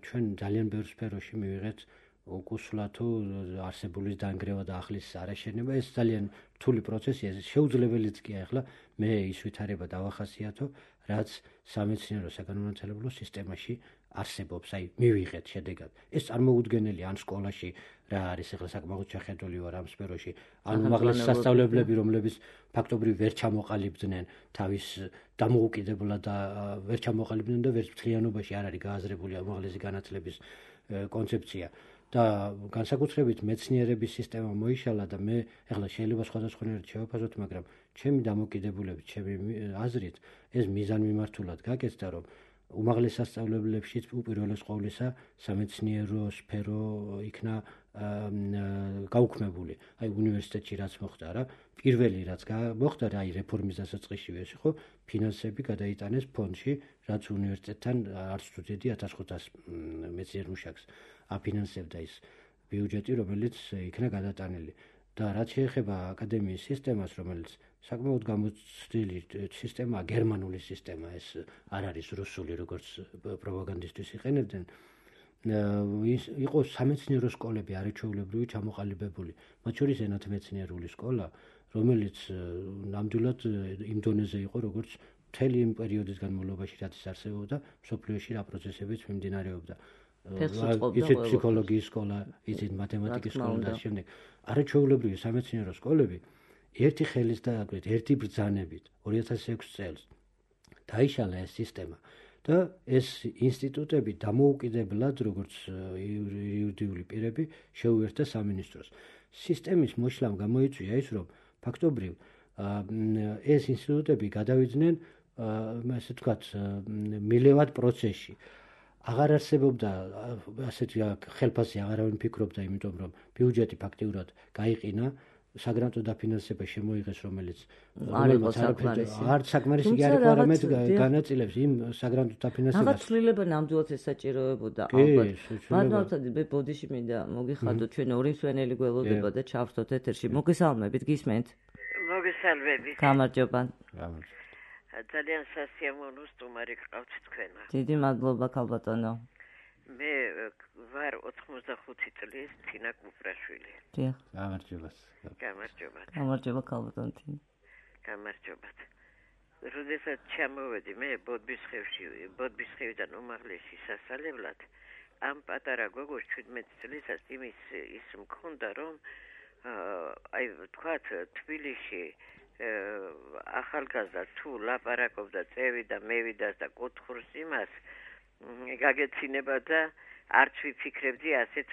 ჩვენ ძალიან ბევრ სფეროში მივიღეთ უკუსლა თუ არსებულის დანგრევა და ახლის არაშენება, ეს ძალიან რთული პროცესია, ეს შეუძლებელიც კი ახლა მე ის ვითარება დავახასიათო, რაც სამეცნიერო საგანმანათლებლო სისტემაში არსებობს, აი მივიღეთ შედეგად. ეს წარმოუდგენელი ან სკოლაში რა არის ახლა საკმაოდ შეხედული ვარ ამ სფეროში, ან უმაღლესი სასწავლებლები, რომლებიც ფაქტობრივ ვერ ჩამოყალიბდნენ თავის დამოუკიდებლად და ვერ ჩამოყალიბდნენ და ვერც მთლიანობაში არ არის გააზრებული უმაღლესი განათლების კონცეფცია. და განსაკუთრებით მეცნიერების სისტემა მოიშალა და მე ახლა შეიძლება სხვადასხვანაირად შევაფასოთ, მაგრამ ჩემი დამოკიდებულებით, ჩემი აზრით, ეს მიზანმიმართულად გაკეთდა, რომ უმაღლეს სასწავლებლებშიც უპირველეს ყოვლისა სამეცნიერო სფერო იქნა გაუქმებული. აი უნივერსიტეტში რაც მოხდა რა, პირველი რაც მოხდა რა, აი რეფორმის დასაწყისში ეს იყო ფინანსები გადაიტანეს ფონდში, რაც უნივერსიტეტთან არც თუ დიდი 1500 მეცნიერ მუშაკს აფინანსებდა ის ბიუჯეტი, რომელიც იქნა გადატანილი. და რაც შეეხება აკადემიის სისტემას, რომელიც საკმაოდ გამოცდილი სისტემაა, გერმანული სისტემა, ეს არ არის რუსული, როგორც პროპაგანდისტვის იყენებდნენ. იყო სამეცნიერო სკოლები არაჩვეულებრივი ჩამოყალიბებული, მათ შორის ენათმეცნიერული სკოლა, რომელიც ნამდვილად იმ დონეზე იყო, როგორც მთელი იმ პერიოდის განმავლობაში, რაც ის არსებობდა, მსოფლიოში რა პროცესებიც მიმდინარეობდა. ისეთ ფსიქოლოგიის სკოლა, ისეთ მათემატიკის სკოლა და შემდეგ. არაჩვეულებრივი სამეცნიერო სკოლები ერთი ხელის და აგრეთ ერთი ბრძანებით 2006 წელს დაიშალა ეს სისტემა და ეს ინსტიტუტები დამოუკიდებლად, როგორც იურიდიული პირები, შეუერთდა სამინისტროს. სისტემის მოშლამ გამოიწვია ის, რომ ფაქტობრივ ეს ინსტიტუტები გადავიდნენ, ასე ვთქვათ, მილევად პროცესში. აღარ არსებობდა ასეთი ხელფასი, აღარავინ ფიქრობდა, იმიტომ რომ ბიუჯეტი ფაქტიურად გაიყინა, საგრანტო დაფინანსება შემოიღეს, რომელიც არ საკმარისი კი არ იყო, არამედ განაწილებს იმ საგრანტო დაფინანსებას. რაღაც ცვლილება ნამდვილად ესაჭიროებოდა ალბათ. ბატონო, მე ბოდიში მინდა მოგიხადოთ, ჩვენ ორი მსვენელი გველოდება და ჩავრთოთ ეთერში. მოგესალმებით, გისმენთ? მოგესალმებით. გამარჯობა. ძალიან სასიამოვნო სტუმარი გყავთ თქვენა. დიდი მადლობა, ქალბატონო. მე ვარ 85 წლის თინა კუპრაშვილი. დიახ. გამარჯობათ. გამარჯობა, ქალბატონო. გამარჯობათ. როდესაც ჩამოვედი მე ბოდბისხევიდან უმაღლესი სასწავლებლად, ამ პატარა გოგოს 17 წლისას ის მქონდა, რომ აი ვთქვათ, თბილისში ახალგაზრდა თუ ლაპარაკობდა წევიდა, მევიდას და კუთხურს იმას გაგეცინება და არც ვიფიქრებდი ასეთ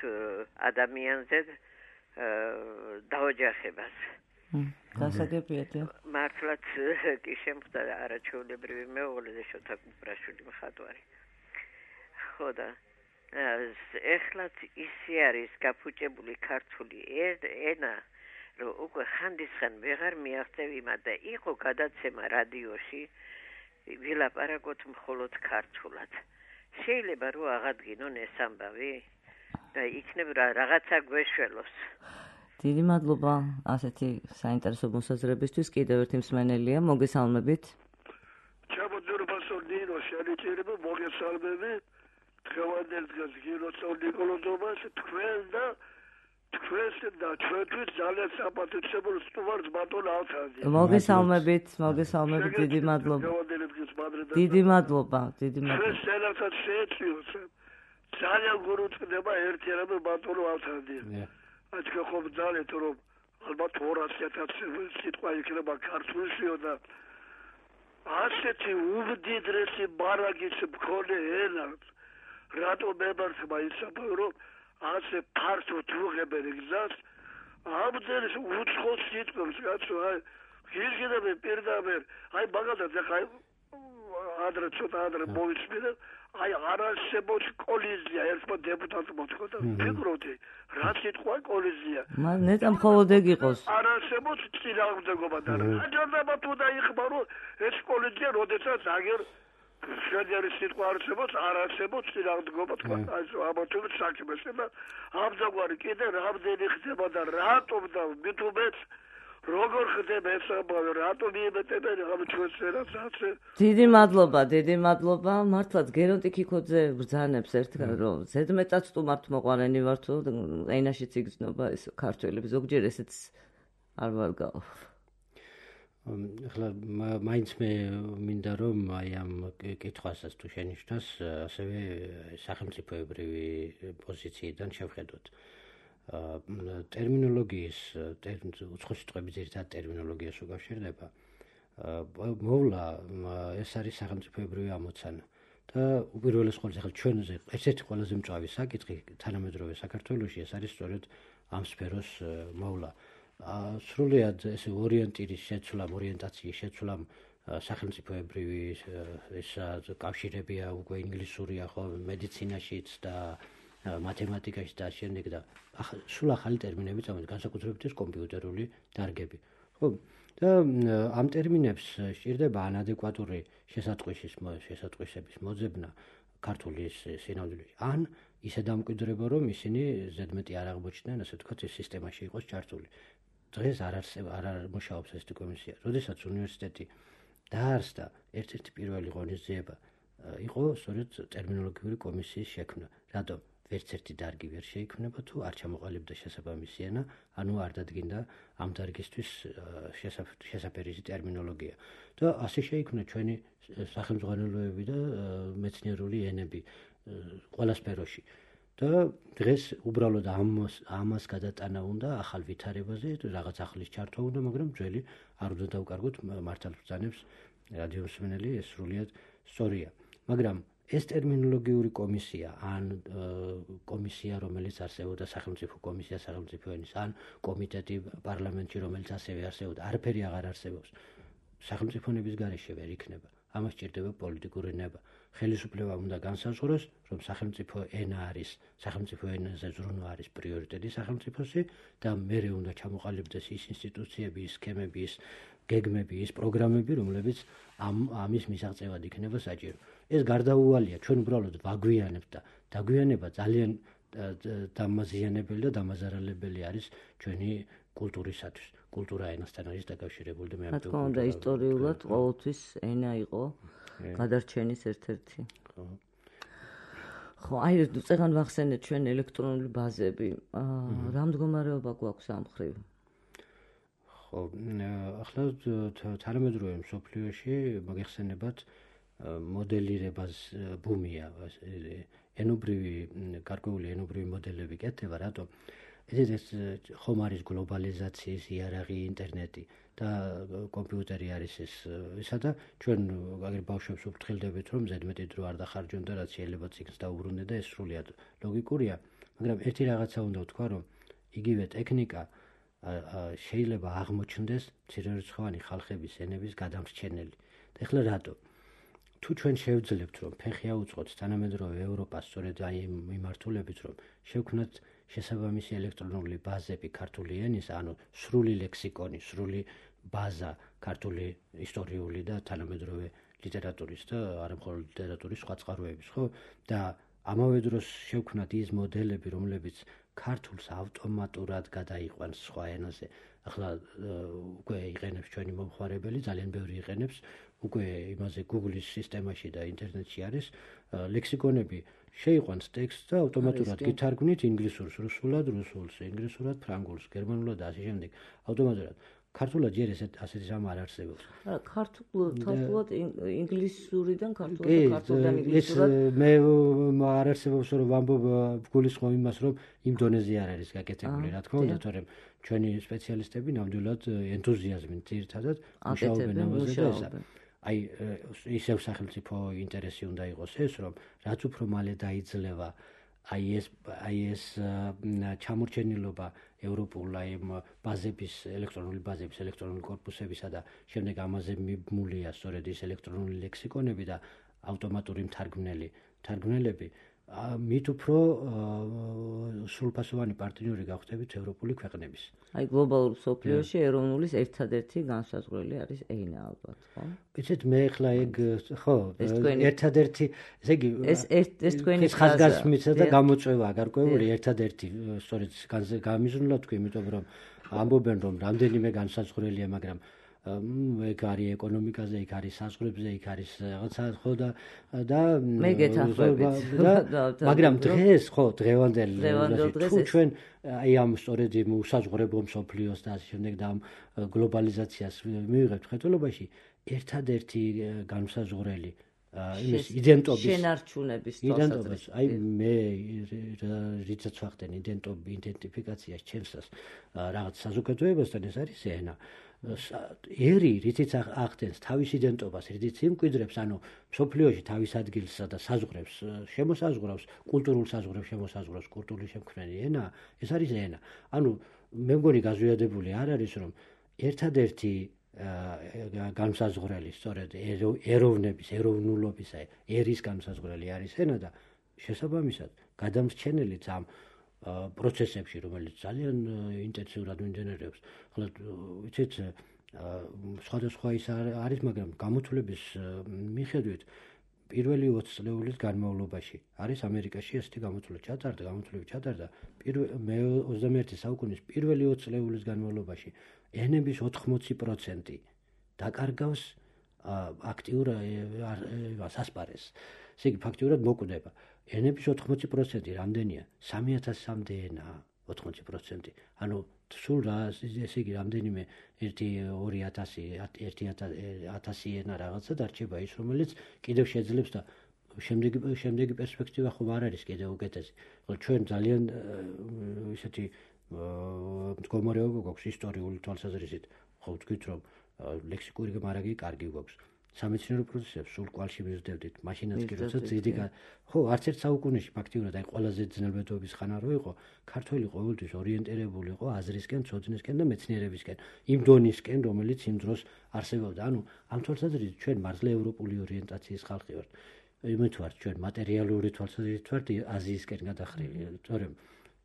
ადამიანზე დაოჯახებას. გასაგებიათ. მართლაც კი შემხდა არაჩვეულებრივი მეუღლე და შოთა კუპრაშვილი მხატვარი. ხო და ეხლაც ისე არის გაფუჭებული ქართული ენა, რომ უკვე ხანდისხან ვეღარ მიაღწევიმა და იყო გადაცემა რადიოში ვილაპარაკოთ მხოლოდ ქართულად. შეიძლება რომ აღადგინონ ეს ამბავი და იქნებ რაღაცა გვეშველოს. დიდი მადლობა ასეთი საინტერესო მოსაზრებისთვის. კიდევ ერთი მსმენელია, მოგესალმებით. ჩამოძრბასო დინო შელიჭირება მოგესალმები. დღევანდელ დღეს გილოცავ ნიკოლოზობას თქვენ და ჩვენთვის ძალიან საპატივცემულ სტუმარს ბატონ ალთანზე. მოგესალმებით, დიდი მადლობა. დიდი მადლობა. ჩვენ სენასაც შეეწიოს. ძალიან გურუწყდება ერთიანობა ბატონო ალთანზე. თქვენ ხომ ძალეთ რომ ალბათ 200,000 სიტყვა იქნება ქართულშიო და ასეთი უმდიდრესი ბარაგის მქონე ენა რატო მემარცხება ისაბა რომ ასე ფართოდ უღებენ გზას ამდენს უცხოს სიტყვებს კაცო აი გიჟგდები პირდაპირ აი მაგალითად ახლა ადრე მოვისმინე აი არასებოც კოლიზია ერთმა დეპუტატმა თქვა და ფიქრობდი რა სიტყვა კოლიზია ნეტა მხოლოდ ეგ იყოს არასებოც წინააღმდეგობა და აჯერდება თუ დაიხმარო ეს კოლიზია როდესაც აგერ შედიარი სიტყვა არასებოც წინააღმდეგობა თქვა აი ამათობით საქმეს და ამძაგვარი კიდე რამდენი ხდება და რატომ და მithumet როგორ ხდება ეს ამბავი რატომ მიემეტებენ ამ ჩვენს ასე დიდი მადლობა მართლაც გერონტი ქიქოძე ბრძანებს ერთგან რომ ზედმეტად სტუმართ მოყვარენი ვარ თუ ენაშიც იგრძნობა ეს ქართველები ზოგჯერ ესეც არ ვარ გავა ახლა მაინც მე მინდა რომ აი ამ კითხვასაც თუ შენიშნოს, ასევე სახელმწიფოებრივი პოზიციიდან შევხედოთ. ტერმინოლოგიის უცხოშიტყვების ერთად ტერმინოლოგიას უკავშირდება. მოვლა ეს არის სახელმწიფოებრივი ამოცანა. და უპირველეს ყოვლისა ახლა ჩვენზე ერთ-ერთი ყველაზე მწვავი საკითხი თანამედროვე საქართველოში ეს არის სწორედ ამ სფეროს მოვლა. სრულიად ესე ორიენტაციის შეცვლამ სახელმწიფოებრივი ეს კავშირებია უკვე ინგლისურია ხო მედიცინაშიც და მათემატიკაში და შემდეგ და სულ ახალი ტერმინები წამოიწყო განსაკუთრებით ეს კომპიუტერული დარგები ხო და ამ ტერმინებს სჭირდება ანადეკვატური შესატყვისების მოძებნა ქართული სინამდვილეში ან ისე დამკვიდრება რომ ისინი ზედმეტი არ აღმოჩნდნენ ასე ვთქვათ ეს სისტემაში იყოს ჩართული დღეს არ მუშაობს ეს კომისია როდესაც უნივერსიტეტი დაარსდა ერთ-ერთი პირველი ღონისძიება იყო სწორედ ტერმინოლოგიური კომისიის შექმნა რატომ ვერც ერთი დარგი ვერ შეიქმნება თუ არ ჩამოყალიბდა შესაბამისი ენა ანუ არ დადგინდა ამ დარგისთვის შესაფერისი ტერმინოლოგია და ასე შეიქმნა ჩვენი სახელმძღვანელოები და მეცნიერული ენები ყველა სფეროში და დღეს უბრალოდ ამას გადატანა უნდა ახალ ვითარებაზე რაღაც ახლის ჩართვა უნდა მაგრამ ძველი არ უნდა დავკარგოთ მართლბრძანებს რადიოსმენელი ეს სრულიად სწორია მაგრამ ეს ტერმინოლოგიური კომისია ან კომისია რომელიც არსებობდა სახელმწიფო კომისია სახელმწიფო ენის ან კომიტეტი პარლამენტში რომელიც ასევე არსებობდა არაფერი აღარ არსებობს სახელმწიფონების გარეშე ვერ იქნება ამას სჭირდება პოლიტიკური ნება ხელისუფლება უნდა განსაზღვროს რომ სახელმწიფო ენა არის სახელმწიფო ენაზე ზრუნვა არის პრიორიტეტი სახელმწიფოსი და მერე უნდა ჩამოყალიბდეს ის ინსტიტუციები ის სქემები ის გეგმები ის პროგრამები რომლებიც ამის მისაღწევად იქნება საჭირო ეს გარდაუვალია ჩვენ უბრალოდ ვაგვიანებთ და დაგვიანება ძალიან დამაზიანებელი და დამაზარალებელი არის ჩვენი კულტურისათვის კულტურა ენასთან არის დაკავშირებული და მე ამიტომ თქო და ისტორიულად ყოველთვის ენა იყო გადარჩენის ერთ-ერთი ხო აი წეგან ვახსენეთ ჩვენ ელექტრონული ბაზები რა მდგომარეობა გვაქვს ამ მხრივ ხო ახლა თანამედროვე მსოფლიოში მოგეხსენებათ მოდელირებას ბუმია ენობრივი გარკვეული ენობრივი მოდელები კეთდება რატომ ეს ხომ არის გლობალიზაციის იარაღი ინტერნეტი და კომპიუტერი არის ესა და ჩვენ აგერ ბავშვებს ვფრთხილდებით რომ ზედმეტი დრო არ დახარჯონ და რაც შეიძლება ციგნს დაუბრუნდე და ეს სრულიად ლოგიკურია მაგრამ ერთი რაღაცა უნდა ვთქვა რომ იგივე ტექნიკა შეიძლება აღმოჩნდეს მცირერიცხოვანი ხალხების ენების გადამრჩენელი და ეხლა რატო თუ ჩვენ შევძლებთ რომ ფეხი აუწყოთ თანამედროვე ევროპას სწორედ აი იმ მიმართულებით რომ შევქმნათ შესაბამისი ელექტრონული ბაზები ქართული ენის ანუ სრული ლექსიკონი სრული ბაზა ქართული ისტორიული და თანამედროვე ლიტერატურის და არა მხოლოდ ლიტერატურის სხვა წყაროების ხო და ამავე დროს შევქმნათ ის მოდელები რომლებიც ქართულს ავტომატურად გადაიყვანს სხვა ენაზე ახლა უკვე იყენებს ჩვენი მომხმარებელი ძალიან ბევრი იყენებს უკვე იმაზე Google-ის სისტემაში და ინტერნეტში არის ლექსიკონები შეიყვანს ტექსტს და ავტომატურად გითარგმნით ინგლისურს რუსულად რუსულს ინგლისურად ფრანგულს გერმანულად და ასე შემდეგ ავტომატურად ქართულად ჯერ ასეთი რამ არ არსებობს ქართულად ინგლისურიდან ქართულიდან ინგლისურად მე არ არსებობს რომ ვამბობ გულისხმობ იმას რომ იმ დონეზე არ არის გაკეთებული რა თქმა უნდა თორემ ჩვენი სპეციალისტები ნამდვილად ენთუზიაზმით ძირითადად მუშაობენ ამაზე და ესა აი ისევ სახელმწიფო ინტერესი უნდა იყოს ეს რომ რაც უფრო მალე დაიძლევა აი ეს ჩამორჩენილობა ევროპულ აი ბაზების ელექტრონული კორპუსებისა და შემდეგ ამაზე მიბმულია სწორედ ის ელექტრონული ლექსიკონები და ავტომატური მთარგმნელები მით უფრო სრულფასოვანი პარტნიორი გავხდებით ევროპული ქვეყნების. აი გლობალურ მსოფლიოში ეროვნულის ერთადერთი განსაზღვრელი არის ენა ალბათ, ხო? იცით მე ახლა ეგ ხო, ერთადერთი, ესე იგი ეს თქვენი ხაზგასმიცა და გამოწვევა გარკვეული ერთადერთი სწორედ გამიზრუნოთ თქვი, იმიტომ რომ ამბობენ რომ რამდენიმე განსაზღვრელია, მაგრამ ეგ არის ეკონომიკაზე, იქ არის საზღვრებზე, იქ არის რაღაცა ხო და მე გეთანხმებით. მაგრამ დღეს ხო დღევანდელ თუ ჩვენ აი ამ სწორედ იმ უსაზღვრებო მსოფლიოს და ასე შემდეგ და ამ გლობალიზაციას მივიღებთ ხელობაში ერთადერთი განსაზღვრელი იმის იდენტობის შენარჩუნების თვალსაზრისით. აი მე რითაც ვახდენ იდენტიფიკაციას ჩემსას რაღაც საზოგადოებასთან ეს არის ენა. ერი რითიც ახდენს თავის იდენტობას, რითიც იმკვიდრებს, ანუ მსოფლიოში თავის ადგილსა და საზღვრებს შემოსაზღვრავს, კულტურულ საზღვრებს შემოსაზღვრავს კულტურული შემქმნელი ენა, ეს არის ენა. ანუ მე მგონი გაზვიადებული არ არის, რომ ერთადერთი განსაზღვრელი სწორედ ეროვნების, ეროვნულობის, ერის განსაზღვრელი არის ენა და შესაბამისად გადამრჩენელიც ამ პროცესებში, რომელიც ძალიან ინტენსიურად მიმდინარეობს. ხოლო ვიცით, სხვადასხვა ის არის, მაგრამ გამოთვლების მიხედვით პირველი 20 წლეულის განმავლობაში არის ამერიკაში ესეთი გამოთვლები ჩატარდა. მე 21 საუკუნის პირველი 20 წლეულის განმავლობაში ენების 80% დაკარგავს აქტიურ ასპარეზს. ესე იგი ფაქტიურად მოკვდება. ენების 80% რამდენია? 3000-მდე ენაა 80%. ანუ სულ რა ესე იგი რამდენიმე 1000 ენა რაღაცა დარჩება ის, რომელიც კიდევ შეძლებს და შემდეგი პერსპექტივა ხომ არ არის კიდევ უკეთესი. ხო ჩვენ ძალიან ისეთი მდგომარეობა გვაქვს ისტორიული თვალსაზრისით. ხო ვთქვით რომ ლექსიკური მარაგი კარგი გვაქვს. სამეცნიერო პროცესებს სულ კვალში მივსდევდით, მაშინაც კი როცა ძიდი ხო არც ერთ საუკუნეში ფაქტიურად აი ყველაზე ძნელბედობის ხანა რო იყო, ქართველი ყოველთვის ორიენტირებული იყო აზრისკენ, ცოდნისკენ და მეცნიერებისკენ, იმ დონისკენ, რომელიც იმ დროს არსებობდა. ანუ ამ თვალსაზრისით ჩვენ მართლა ევროპული ორიენტაციის ხალხი ვართ. იმით ვართ ჩვენ მატერიალური თვალსაზრისით ვართ აზიისკენ გადახრილი, თორემ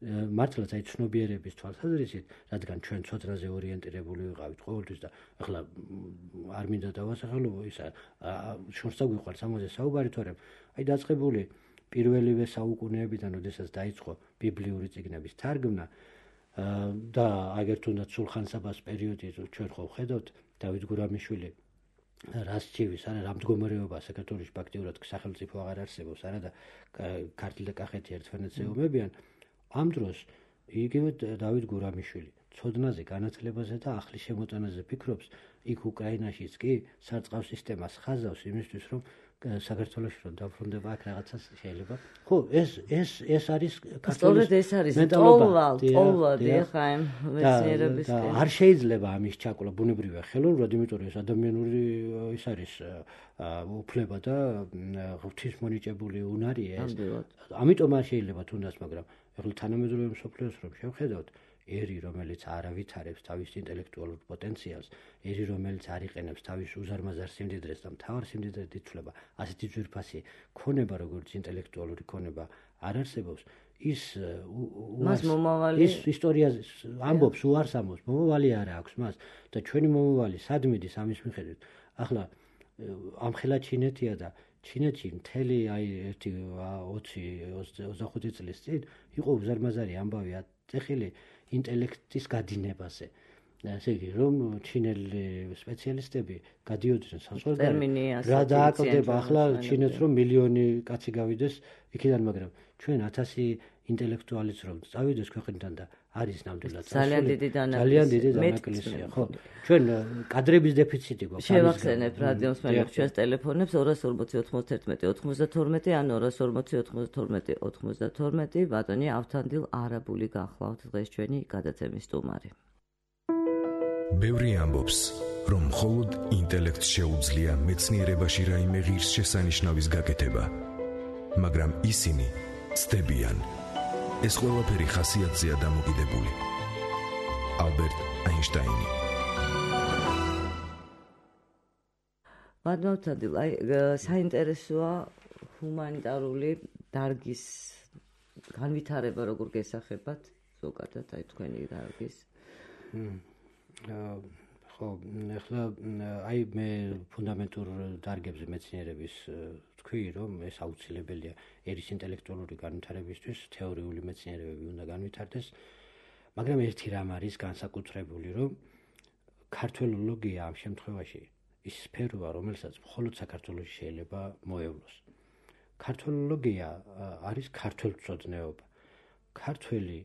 მართლაც აი ცნობიერების თვალსაზრისით, რადგან ჩვენ ცოდნაზე ორიენტირებული ვიყავით ყოველთვის და ახლა არ მინდა დავასახელო ისა შორს დაგვიყვარს ამაზე საუბარი, თორემ აი დაწყებული პირველივე საუკუნეებიდან, როდესაც დაიწყო ბიბლიური წიგნების თარგმნა და აგერ თუნდაც სულხან-საბას პერიოდი ჩვენ ხო ვხედავთ დავით გურამიშვილი რას ჭივის, არა რა მდგომარეობა საქართველოში ფაქტიურად სახელმწიფო აღარ არსებობს, არა და ქართლი და კახეთი ერთმანეთს ეომებიან. ამ დროს იგივე დავით გურამიშვილი ცოდნაზე, განათლებაზე და ახლის შემოტანაზე ფიქრობს, იქ უკრაინაშიც კი სარწყავ სისტემას ხაზავს იმისთვის, რომ საქართველოში რომ დაბრუნდება აქ რაღაცას შეიძლება. ხო, ეს არის სწორედ ეს არის ტოლვადი ხა იმ მეცნიერებისკენ. არ შეიძლება ამის ჩაკლა ბუნებრივია ხელოვნურად, იმიტომ რომ ეს ადამიანური ის არის უფლება და ღვთისმონიჭებული უნარია ეს. ამიტომ არ შეიძლება თუნდაც, მაგრამ ეხლა თანამედროვე მსოფლიოს რომ შევხედავთ, ერი რომელიც არ ავითარებს თავის ინტელექტუალურ პოტენციალს, ერი რომელიც არ იყენებს თავის უზარმაზარ სიმდიდრეს და მთავარ სიმდიდრედ ითვლება, ასეთი ძვირფასი ქონება, როგორც ინტელექტუალური ქონება არ არსებობს, ის მას მომავალი ის ისტორიაზე ამბობს, უარს ამბობს, მომავალი არ აქვს მას და ჩვენი მომავალი სად მიდის ამის მიხედვით. ახლა ამხელა ჩინეთია და ჩინეთში მთელი აი 20-25 წლის წინ იყო უზარმაზარი ამბავი აწეხილი ინტელექტის გადინებაზე. ესე იგი, რომ ჩინელი სპეციალისტები გადიოდნენ საზღვარგარეთ, რა დააკლდება ახლა ჩინეთს, რომ მილიონი კაცი გავიდეს იქიდან, მაგრამ ჩვენ 1000 ინტელექტუალიც რომ წავიდეს ქვეყნიდან და არის ნამდვილად ძალიან დიდი დანაკლისია, ხო. ჩვენ კადრების დეფიციტი გვაქვს. შევახსენებ რადიოს მელებს ჩვენს ტელეფონებს 240 91 92 ან 240 92 92. ბატონი ავთანდილ არაბული გახლავთ დღეს ჩვენი გადაცემის სტუმარი. ბევრი ამბობს, რომ მხოლოდ ინტელექტს შეუძლია მეცნიერებაში რაიმე ღირსშესანიშნავის გაკეთება, მაგრამ ისინი ცდებიან. ეს ყველაფერი ხასიათზეა დამოკიდებული. ალბერტ აინშტაინი. ბატონო, აი საინტერესოა ჰუმანიტარული დარგის განვითარება, როგორ გესახებათ ზოგადად აი თქვენი დარგის. ხო, ახლა აი მე ფუნდამენტურ დარგებზე მეცნიერების თქვი, რომ ეს აუცილებელია ერის ინტელექტუალური განვითარებისთვის, თეორიული მეცნიერებები უნდა განვითარდეს, მაგრამ ერთი რამ არის განსაკუთრებული, რომ ქართველოლოგია ამ შემთხვევაში ის სფეროა, რომელსაც მხოლოდ საქართველოში შეიძლება მოევლოს. ქართველოლოგია არის ქართველწოდნეობა. ქართველი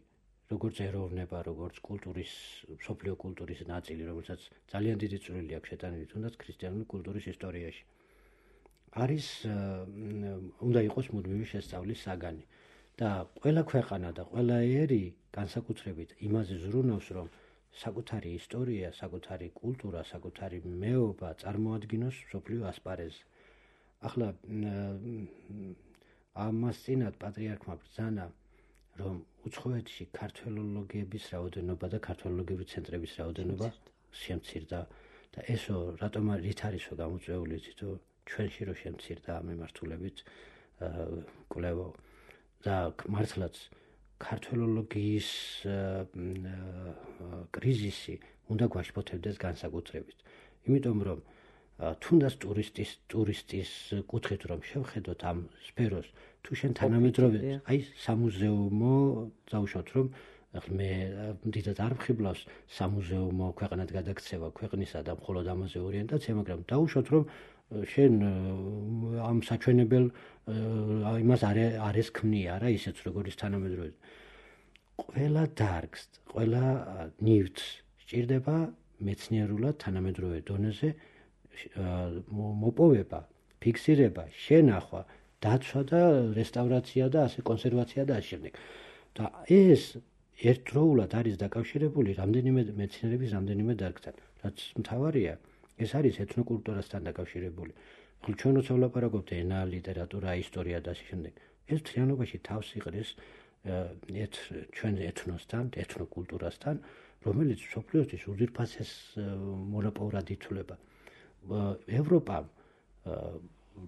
როგორც ეროვნება, როგორც კულტურის, მსოფლიო კულტურის ნაწილი, რომელსაც ძალიან დიდი წვლილი აქვს შეტანილი თუნდაც ქრისტიანული კულტურის ისტორიაში. არის უნდა იყოს მუდმივი შესწავლის საგანი და ყველა ქვეყანა და ყველა ერი განსაკუთრებით იმაზე ზრუნავს, რომ საკუთარი ისტორია, საკუთარი კულტურა, საკუთარი მეობა წარმოადგინოს მსოფლიო ასპარეზზე. ახლა ამას წინათ პატრიარქმა ბრძანა, რომ უცხოეთში ქართველოლოგიების რაოდენობა და ქართველოლოგიური ცენტრების რაოდენობა შემცირდა და ესო რატომ რით არისო გამოწვეული თითო ჩვენში რო შემცირდა ამ მიმართულებით კვლევა და მართლაც ქართველოლოგიის კრიზისი უნდა გვაშფოთებდეს განსაკუთრებით. იმიტომ რომ თუნდაც ტურისტის კუთხით რომ შევხედოთ ამ სფეროს, თუ შენ თანამედროვე აი სამუზეუმო დავუშვათ რომ მე დიდად არ ვხიბლავს სამუზეუმო ქვეყანად გადაქცევა ქვეყნისა და მხოლოდ ამაზე ორიენტაცია, მაგრამ დავუშვათ რომ შენ ამ საჩვენებელ იმას არის ქმნია რა ისეც როგორც თანამედროვე. ყველა დარგს, ყველა ნივთს სჭირდება მეცნიერულად თანამედროვე დონეზე მოპოვება, ფიქსირება, შენახვა, დაცვა და რესტავრაცია და ასე კონსერვაცია და ასე შემდეგ. და ეს ერთდროულად არის დაკავშირებული რამდენიმე მეცნიერების რამდენიმე დარგთან, რაც მთავარია. ეს არის ეთნოკულტურასთან დაკავშირებული. ხოლო ჩვენ როცა ვლაპარაკობთ ენა, ლიტერატურა, ისტორია და ასე შემდეგ, ეს მთლიანობაში თავს იყრის ჩვენ ეთნოსთან, ეთნოკულტურასთან, რომელიც მსოფლიოსთვის უძირფასეს მონოპოლად ითვლება. ევროპამ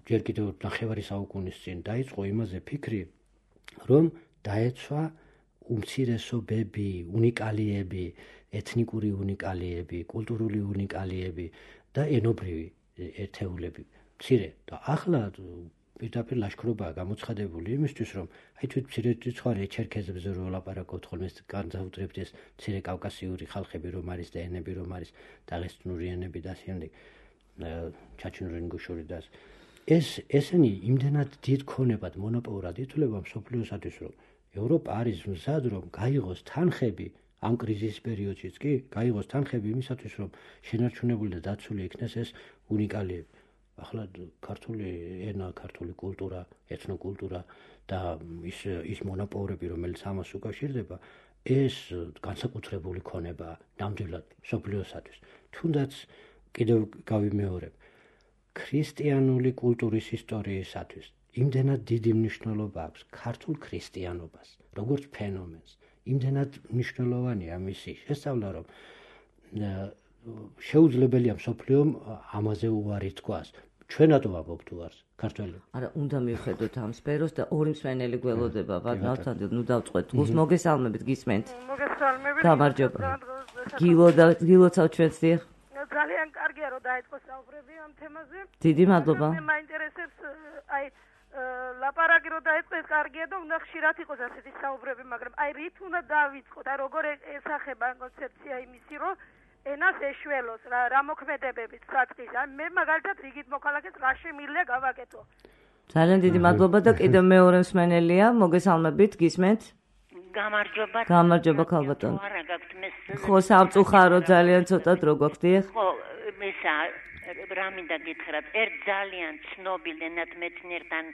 ჯერ კიდევ ნახევარი საუკუნის წინ დაიწყო იმაზე ფიქრი, რომ დაეცვა უმცირესობები, უნიკალიები, ეთნიკური უნიკალიები, კულტურული უნიკალიები და ენობრივი ერთეულები. მცირე და ახლა პირდაპირ ლაშქრობაა გამოცხადებული იმისთვის, რომ აი თვით მცირერიცხვარი ჩერქეზებზე რო ვლაპარაკობთ, ხოლმე განსაკუთრებით ეს მცირე კავკასიური ხალხები რომ არის და ენები რომ არის, დაღესტნური ენები და ასე შემდეგ, ჩაჩინური ინგუშური და ესენი იმდენად დიდ ქონებად მონოპოლად ითვლება მსოფლიოსათვის, რომ ევროპა არის მზად რომ გაიღოს თანხები ამ კრიზისის პერიოდშიც კი გაიღოს თანხები იმისათვის, რომ შენარჩუნებული და დაცული იქნეს ეს უნიკალიები. ახლა ქართული ენა, ქართული კულტურა, ეთნოკულტურა და ის მონოპოლები, რომელიც ამას უკავშირდება, ეს განსაკუთრებული ქონება ნამდვილად მსოფლიოსათვის. თუნდაც კიდევ გავიმეორებ, ქრისტიანული კულტურის ისტორიისათვის იმდენად დიდი მნიშვნელობა აქვს ქართულ ქრისტიანობას, როგორც ფენომენს. იმდენად მნიშვნელოვანია მისი შესწავლა, რომ შეუძლებელია მსოფლიომ ამაზე უარი თქვას. ჩვენ რატო ვაბობთ უარს ქართველები? არა, უნდა მივხედოთ ამ სფეროს და ორი მსმენელი გველოდება. ვარდნავთან ნუ დავწყვეტ. გულს მოგესალმებით, გისმენთ? მოგესალმებით. გამარჯობა. გილოცავ ჩვენს დიახ. ძალიან კარგია რომ დაიწყო საუბრები ამ თემაზე. დიდი მადლობა. მე მაინტერესებს აი ლაპარაკი რომ დაიწყო ეს კარგია და უნდა ხშირად იყოს ასეთი საუბრები, მაგრამ აი რით უნდა დავიწყოთ? აი როგორ ესახება კონცეფცია იმისი, რომ ენას ეშველოს რა მოქმედებებით საწყის. მე მაგალითად რიგით მოქალაქეს რა შემიძლია გავაკეთო. ძალიან დიდი მადლობა და კიდევ მეორე მსმენელია, მოგესალმებით, გისმენთ? გამარჯობა. გამარჯობა ქალბატონო. ხო, სამწუხარო ძალიან ცოტად რო გვაქვს დიახ? ხო, მისა რა მინდა გითხრათ, ერთ ძალიან ცნობილ ენათმეცნიერთან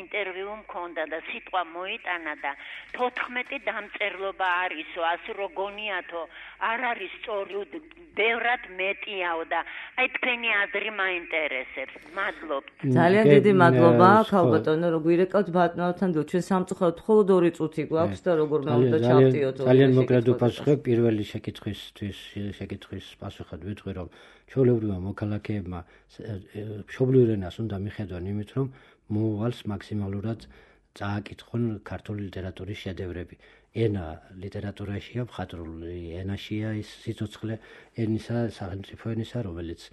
ინტერვიუ მქონდა და სიტყვა მოიტანა და 14 დამწერლობა არისო, ასე რო გონიათო, არ არის სწორი, ბევრად მეტიაო და აი თქვენი აზრი მაინტერესებს. მადლობთ. ძალიან დიდი მადლობა ქალბატონო, რომ გვირეკავთ ბატონთან და ჩვენ სამწუხაროდ მხოლოდ 2 წუთი გვაქვს და როგორ უნდა ჩავტიოთ. ძალიან მოკლედ უპასუხებ პირველი შეკითხვის პასუხად ვიტყვი, რომ ჩვეულებრივმა მოქალაქეებმა მშობლიურ ენას უნდა მიხედონ იმით, რომ მოვალს მაქსიმალურად წააკითხონ ქართული ლიტერატურის შედევრები. ენა ლიტერატურაშია, მხატვრული ენაშია ის სიცოცხლე ენისა, სახელმწიფო ენისა, რომელიც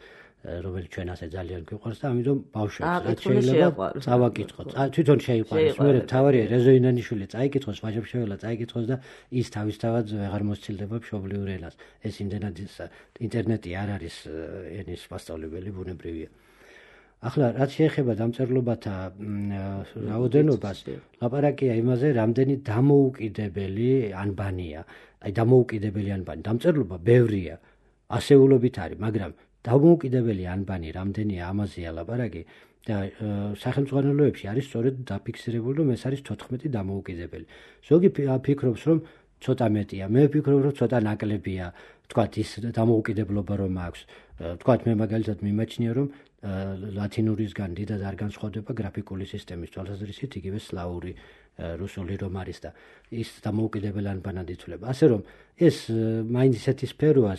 რომელიც ჩვენ ასე ძალიან გვიყვარს და ამიტომ ბავშვებს შეიძლება წავაკითხოთ. თვითონ შეიყვარეს. მე თავარია რეზო ინანიშვილი წაიკითხოს, ვაჟებშეველა წაიკითხოს და ის თავისთავად ვეღარ მოსცილდება მშობლიურ ენას. ეს იმდენად ინტერნეტი არ არის ენის მასწავლებელი ბუნებრივია. ახლა რაც შეეხება დამწერლობათა რაოდენობას, ლაპარაკია იმაზე, რამდენი დამოუკიდებელი ანბანია. აი დამოუკიდებელი ანბანი, დამწერლობა ბევრია, ასეულობით არის, მაგრამ დამოუკიდებელი ანბანი რამდენია, ამაზეა ლაპარაკი და სახელმწიფოებში არის სწორედ დაფიქსირებული, რომ ეს არის 14 დამოუკიდებელი. ზოგი ფიქრობს, რომ ცოტა მეტია, მე ვფიქრობ, რომ ცოტა ნაკლებია, თქვათ ის დამოუკიდებლობა რომ აქვს. თქვათ მე მაგალითად მიმაჩნია, რომ ლათინურისგან დიდად არ განსხვავდება გრაფიკული სისტემის თვალსაზრისით, იგივე სლავური, რუსული რომ არის და ის დამოუკიდებელ ანბანად ითვლება. ასე რომ ეს მაინც ისეთი სფეროა,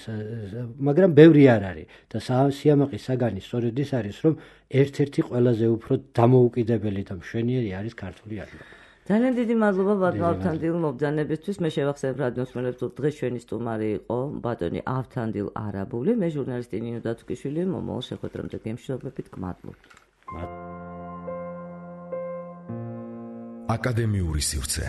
მაგრამ ბევრი არ არის და სიამაყის საგანი სწორედ ის არის, რომ ერთ-ერთი ყველაზე უფრო დამოუკიდებელი და მშვენიერი არის ქართული ანბანი. ძალიან დიდი მადლობა ბატონ ავთანდილ მობრძანებისთვის. მე შევახსენებ რადიოს მელებს, რომ დღეს ჩვენი სტუმარი იყო ბატონი ავთანდილ არაბული, მე ჟურნალისტი ნინო დათუკიშვილი, მომავალ შეხვედრამდე გემშვიდობებით, გმადლობთ. აკადემიური სივრცე.